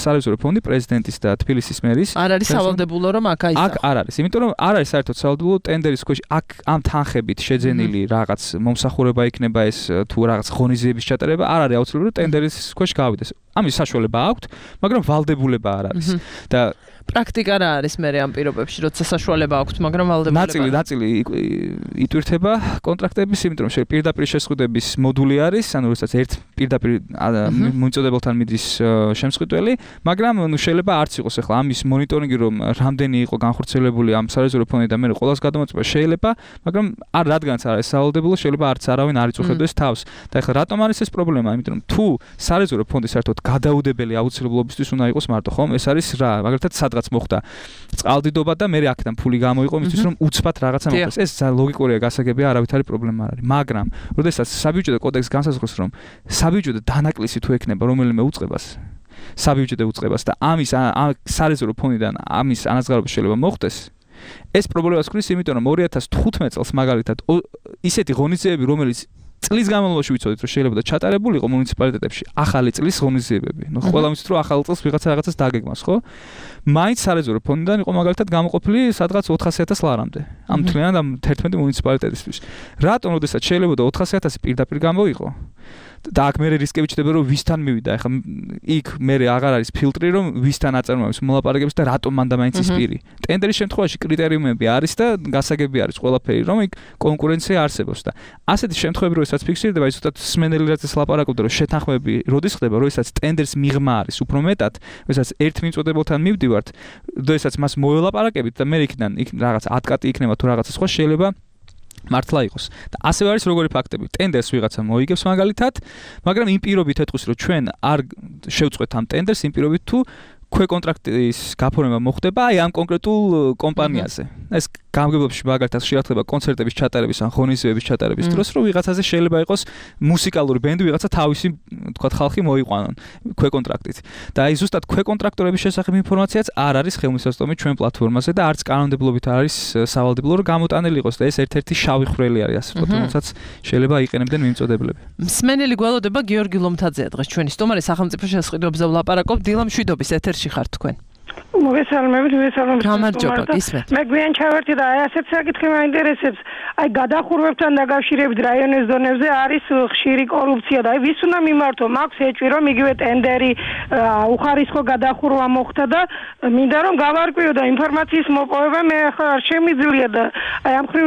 სარეზერვო ფონდი პრეზიდენტის და თბილისის მერის. არ არის სავალდებულო რომ აქ აისახოს. აქ არ არის, იმიტომ რომ არ არის საერთოდ სავალდებულო ტენდერის ქვეშ აქ ამ თანხებით შეძენილი რაღაც მომსახურება იქნება ეს თუ რაღაც ღონისძიების ჩატარება, არ არის აუცილებელი რომ ტენდერის ქვეშ გავიდეს. ამის საშუალება აქვს, მაგრამ ვალდებულება არ არის. და პრაქტიკა რა არის მე ამ პირობებში, როცა საშუალება აქვს, მაგრამ ვალდებულება. ნაწილი, ნაწილი იტვირთება კონტრაქტების, იმიტომ რომ პირდაპირ შესყიდვების მოდული არის, ანუ როდესაც ერთ პირდაპირ მომწოდებელთან მიდის შემსყიდველი, მაგრამ ნუ შეიძლება არც იყოს ახლა ამის მონიტორინგი, რომ რამდენი იყო განხორციელებული ამ სარეზერვო ფონდი და მე ყველას გადამოწება შეიძლება, მაგრამ არ რადგანაც არ არის სავალდებულო, შეიძლება არც არავინ არ იწუხებდეს თავს. და ახლა რატომ არის ეს პრობლემა? იმიტომ რომ თუ სარეზერვო ფონდი საერთოდ გადაუდებელი აუცილებლობისთვის უნდა იყოს მარტო, ხომ? ეს არის რა, მაგალითად სადღაც მოხდა წყალდიდობა და მე აქედან ფული გამოიყო იმისთვის რომ უცბად რაღაცა მოხდეს. ეს ლოგიკურია, გასაგებია, არავითარი პრობლემა არ არის. მაგრამ როდესაც საბიუჯეტო კოდექსი განსაზღვრავს, რომ საბიუჯეტო დანაკლისი თუ ექნება რომელიმე უწყებას, საბიუჯეტო უწყებას და ამის სარეზერვო ფონდიდან ამის ანაზღაურება შეიძლება მოხდეს, ეს პრობლემას ქმნის, იმიტომ რომ ორი ათას თხუთმეტ წელს მაგალითად ისეთი ღონისძიებები, რომელიც წლის განმავლობაში ვიცოდით რომ შეიძლება და ჩატარებულიყო მუნიციპალიტეტებში ახალი წლის ღონისძიებები. ნუ ყველა ვიცით რომ ახალ წელს ვიღაცა რაღაცას დაგეგმავს, ხო? მაინც სარეზერვო ფონდიდან იყო მაგალითად გამოყოფილი სადღაც ოთხასი ათას ლარამდე. ამ მთლიანად ამ თერთმეტი მუნიციპალიტეტისთვის. რატომ როდესაც შეიძლება და ოთხასი ათასი პირდაპირ გამოიყო? და აქ მე რისკები ჩდება რომ ვისთან მივიდა ეხლა იქ მე აღარ არის ფილტრი რომ ვისთან აწარმოებს მოლაპარაკებს და რატომ მანდა მაინც ის პირი ტენდერის შემთხვევაში კრიტერიუმები არის და გასაგები არის ყველაფერი რომ იქ კონკურენცია არსებობს და ასეთი შემთხვევები როდესაც ფიქსირდება ის უბრალოდ სმენელი რაც ლაპარაკობდა რომ შეთანხმები როდის ხდება როდესაც ტენდერს მიღმა არის უფრო მეტად როდესაც ერთ მიმწოდებელთან მივდივართ როდესაც მას მოველაპარაკებით და მე იქიდან იქ რაღაც ათკატი იქნება თუ რაღაცა სხვა შეიძლება მართლა იყოს და ასევე არის როგორი ფაქტები ტენდერს ვიღაცა მოიგებს მაგალითად მაგრამ იმ პირობით ეთქვის რომ ჩვენ არ შევწყვეთ ამ ტენდერს იმ პირობით თუ ქვეკონტრაქტის გაფორმება მოხდება აი ამ კონკრეტულ კომპანიაზე ეს გამგებლობაში მაგალითად ხშირად ხდება კონცერტების ჩატარების ან ღონისძიებების ჩატარების დროს რომ ვიღაცაზე შეიძლება იყოს მუსიკალური ბენდი ვიღაცა თავისი თქვათ ხალხი მოიყვანონ ქვეკონტრაქტით და აი ზუსტად ქვეკონტრაქტორების შესახებ ინფორმაციაც არ არის ხელმისაწვდომი ჩვენ პლატფორმაზე და არც კანონმდებლობით არის სავალდებულო რომ გამოტანილი იყოს და ეს ერთ-ერთი შავი ხვრელი არის ასე ვთქვათ რომელსაც შეიძლება იყენებდნენ მიმწოდებლები მსმენელი გველოდება გიორგი ლომთაძეა დღეს ჩვენი სტუმარი სახელმწიფო შესყიდვებზე ვლაპარაკობ დილა მშვიდობის ეთერში ხართ თქვენ მოგესალმებით, მოგესალმებით. გამარჯობა, გისმენთ. მე გვიან ჩავერთი და აი ასეთ საკითხი მაინტერესებს. აი გადახურვებთან დაკავშირებით რაიონის დონეზე არის ხშირი კორუფცია და აი ვის უნდა მიმართო? მაქვს ეჭვი რომ იგივე ტენდერი უხარისხო გადახურვა მოხდა და მინდა რომ გავარკვიო და ინფორმაციის მოპოვება მე ახლა არ შემიძლია და აი ამ ხრივ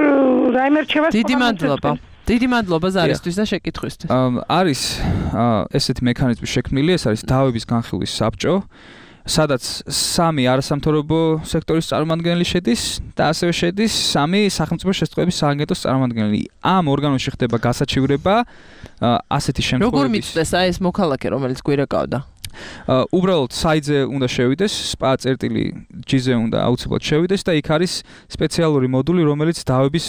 რაიმე რჩევას დიდი მადლობა. დიდი მადლობა ზარისთვის და შეკითხვისთვის. არის ესეთი მექანიზმი შექმნილი, ეს არის დავების განხილვის საბჭო. სადაც სამი არასამთავრობო სექტორის წარმომადგენელი შედის და ასევე შედის სამი სახელმწიფო შესწავლების სააგენტოს წარმომადგენელი. ამ ორგანოში ხდება გასაჩივრება ასეთი შემთხვევების. როგორ მიწდეს აი ეს მოქალაქე, რომელიც გვირეკავდა? უბრალოდ საიტზე უნდა შევიდეს, spa წერტილი ჯი-ზე უნდა აუცილებლად შევიდეს და იქ არის სპეციალური მოდული, რომელიც დავების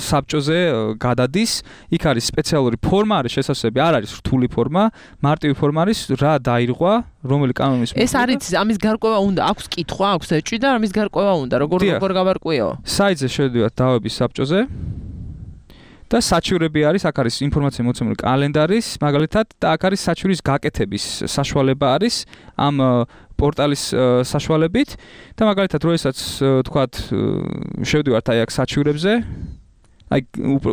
საბჭოზე გადადის. იქ არის სპეციალური ფორმა, არის შესაძლებელი, არ არის რთული ფორმა, მარტივი ფორმა არის, რა დაირღვა, რომელი კანონის ეს არის ამის გარკვევა უნდა, აქვს კითხვა, აქვს ეჭვი და ამის გარკვევა უნდა, როგორ როგორ გავარკვიო? საიტზე შევიდეთ დავების საბჭოზე. და საჩივრები არის, აქ არის ინფორმაცია მოცემული კალენდარის, მაგალითად, და აქ არის საჩივრის გაკეთების საშუალება არის ამ პორტალის საშუალებით და მაგალითად, როდესაც თქვათ, შევდივართ აი აქ საჩივრებზე, აი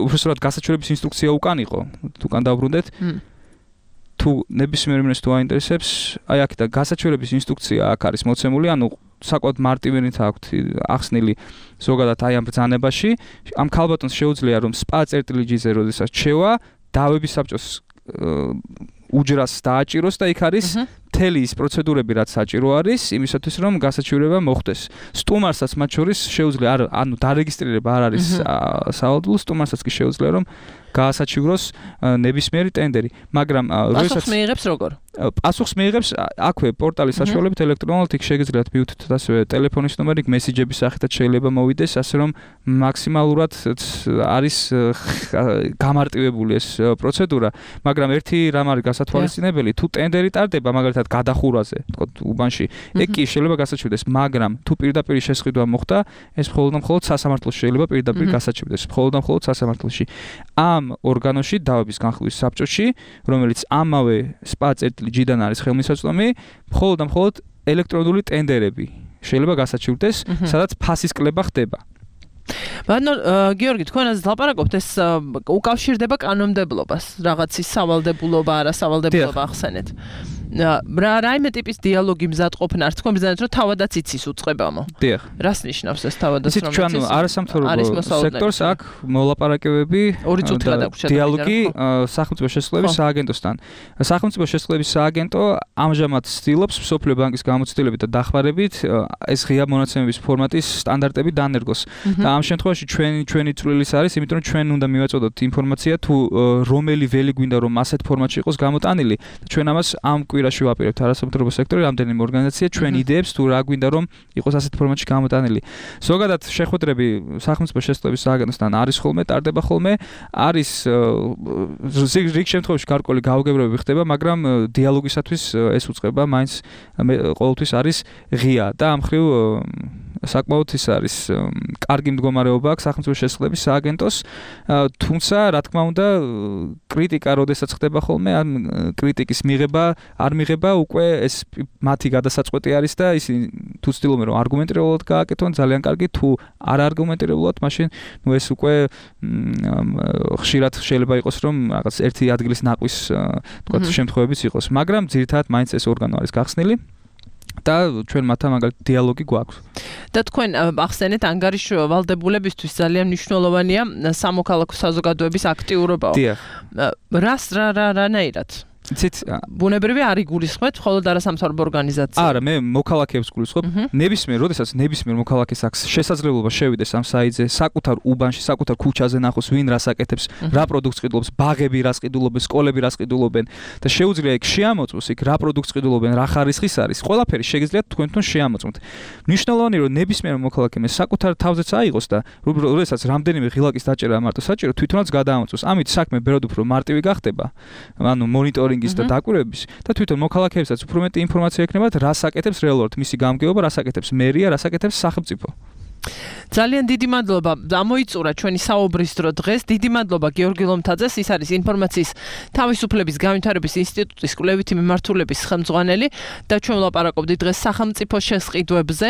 უბრალოდ გასაჩივრების ინსტრუქცია უკან იყო, უკან დავბრუნდეთ. თუ ნებისმიერ მინეს თუ აინტერესებს, აი აქ და გასაჩივრების ინსტრუქცია აქ არის მოცემული, ანუ საკუთარ მარტივენით აქვთ ახსნილი ზოგადად აი ამ ბრძანებაში ამ ქალბატონს შეუძლია რომ spa წერტილი ჯი-ზე როდესაც შევა დავების საბჭოს უჯრას დააჭიროს და იქ არის მთელი ის პროცედურები რაც საჭირო არის იმისათვის რომ გასაჩივრება მოხდეს სტუმარსაც მათ შორის შეუძლია არ ანუ დარეგისტრირება არ არის სავალდებულო სტუმარსაც კი შეუძლია რომ გაასაჩივროს ნებისმიერი ტენდერი მაგრამ როდესაც პასუხს მიიღებს როგორ პასუხს მიიღებს აქვე პორტალის საშუალებით ელექტრონულად იქ შეგიძლიათ მიუთითოთ ასევე ტელეფონის ნომერი მესიჯების სახითაც შეიძლება მოვიდეს ასე რომ მაქსიმალურად არის გამარტივებული ეს პროცედურა მაგრამ ერთი რამ არის გასათვალისწინებელი თუ ტენდერი ტარდება მაგალითად გადახურვაზე თქო უბანში ეგ კი შეიძლება გასაჩივრდეს მაგრამ თუ პირდაპირ შესყიდვა მოხდა ეს მხოლოდ და მხოლოდ სასამართლოში შეიძლება პირდაპირ გასაჩივრდეს მხოლოდ და მხოლოდ სასამართლოში ამ ორგანოში დავების განხილვის საბჭოში რომელიც ამავე spa წერტილი ჯი-დან არის ხელმისაწვდომი მხოლოდ და მხოლოდ ელექტრონული ტენდერები შეიძლება გასაჩივრდეს სადაც ფასის კლება ხდება ბატონო გიორგი თქვენ ასე ლაპარაკობთ ეს უკავშირდება კანონმდებლობას რაღაცის სავალდებულობა არა სავალდებულობა ახსენეთ რა რაიმე ტიპის დიალოგი მზადყოფნა არც თქვენ ბრძანეთ რომ თავადაც იცის უწყებამო დიახ რას ნიშნავს ეს თავადაც რომ იცის ჩვენ არასამთავრობო სექტორს აქ მოლაპარაკებები ორი წუთი გადაგვრჩა დიალოგი სახელმწიფო შესაძლებლობის სააგენტოსთან სახელმწიფო შესაძლებლობის სააგენტო ამჟამად ცდილობს მსოფლიო ბანკის გამოცდილებით და დახმარებით ეს ღია მონაცემების ფორმატის სტანდარტები დანერგოს და ამ შემთხვევაში ჩვენი ჩვენი წვლილის არის იმიტომ რომ ჩვენ უნდა მივაწოდოთ ინფორმაცია თუ რომელი ველი გვინდა რომ ასეთ ფორმატში იყოს გამოტანილი და ჩვენ ამას ამ კვირაში ვაპირებთ არასამთავრობო სექტორი რამდენიმე ორგანიზაცია ჩვენ იდეებს თუ რა გვინდა რომ იყოს ასეთ ფორმატში გამოტანილი ზოგადად შეხვედრები სახელმწიფო შესაძლებლობის სააგენტოსთან არის ხოლმე ტარდება ხოლმე არის რიგ შემთხვევაში გარკვეული გაუგებრებები ხდება მაგრამ დიალოგისათვის ეს უწყება მაინც ყოველთვის არის ღია და ამ ხრივ საკმაოდ ის არის კარგი მდგომარეობა აქვს სახელმწიფო შესაძლებლობის სააგენტოს, თუმცა რა თქმა უნდა კრიტიკა როდესაც ხდება ხოლმე, ან კრიტიკის მიღება არ მიღება უკვე ეს მათი გადასაწყვეტი არის და ისინი თუ ცდილობენ რომ არგუმენტირებულად გააკეთონ ძალიან კარგი, თუ არ არგუმენტირებულად, მაშინ ნუ ეს უკვე ხშირად შეიძლება იყოს რომ რაღაც ერთი ადგილის ნაკვის თქვა შემთხვევებიც იყოს, მაგრამ ძირითადად მაინც ეს ორგანო არის გახსნილი და ჩვენ მათთან მაგალითად დიალოგი გვაქვს. და თქვენ ახსენეთ ანგარიშ ვალდებულებისთვის ძალიან მნიშვნელოვანია სამოქალაქო საზოგადოების აქტიურობა. რას რა რა რანაირად? იცით, ბუნებრივია არ იგულისხმეთ მხოლოდ არასამთავრობო ორგანიზაციას. არა, მე მოქალაქეებს გულისხმობ. ნებისმიერ, როდესაც ნებისმიერ მოქალაქეს აქვს შესაძლებლობა შევიდეს ამ საიტზე, საკუთარ უბანში, საკუთარ ქუჩაზე ნახოს, ვინ რას აკეთებს, რა პროდუქტს ყიდულობს, ბაღები რას ყიდულობენ, სკოლები რას ყიდულობენ და შეუძლია იქ შეამოწმოს იქ რა პროდუქტს ყიდულობენ, რა ხარისხის არის. ყველაფერი შეგიძლიათ თქვენთვან შეამოწმოთ. მნიშვნელოვანია, რომ ნებისმიერ მოქალაქემ საკუთარ თავზეც აიღოს და როდესაც რამდენიმე ღილაკის დაჭერა მარტო საჭირო, თვითონაც გადაამოწმოს. ამით საქმე ბევრად უფრო მარტივი გახდება. ანუ მონიტორინგის და დაკვირვების და თვითონ მოქალაქეებსაც უფრო მეტი ინფორმაცია ექნებათ, რას აკეთებს რეალურად მისი გამგეობა, რას აკეთებს მერია, რას აკეთებს სახელმწიფო. ძალიან დიდი მადლობა. ამოიწურა ჩვენი საუბრის დრო დღეს. დიდი მადლობა გიორგი ლომთაძეს, ის არის ინფორმაციის თავისუფლების განვითარების ინსტიტუტის კვლევითი მიმართულების ხელმძღვანელი და ჩვენ ვლაპარაკობდით დღეს სახელმწიფო შესყიდვებზე,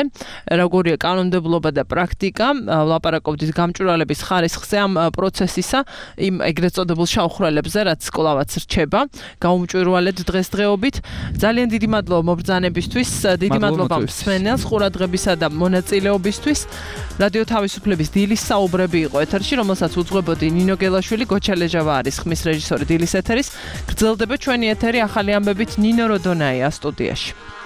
როგორია კანონმდებლობა და პრაქტიკა, ვლაპარაკობდით გამჭვირვალების ხარისხზე ამ პროცესისა, იმ ეგრეთ წოდებულ შავხრელებზე, რაც კვლავაც რჩება. გაუმჭვირვალეთ დღესდღეობით. ძალიან დიდი მადლობა მობრძანებისთვის, დიდი მადლობა მსმენელს ყურადღებისა და მონაწილეობისთვის. რადიო თავისუფლების დილის საუბრები იყო ეთერში, რომელსაც უძღვებოდი ნინო გელაშვილი, გოჩა ლეჟავა არის ხმის რეჟისორი დილის ეთერის. გრძელდება ჩვენი ეთერი ახალი ამბებით ნინო როდონაია სტუდიაში.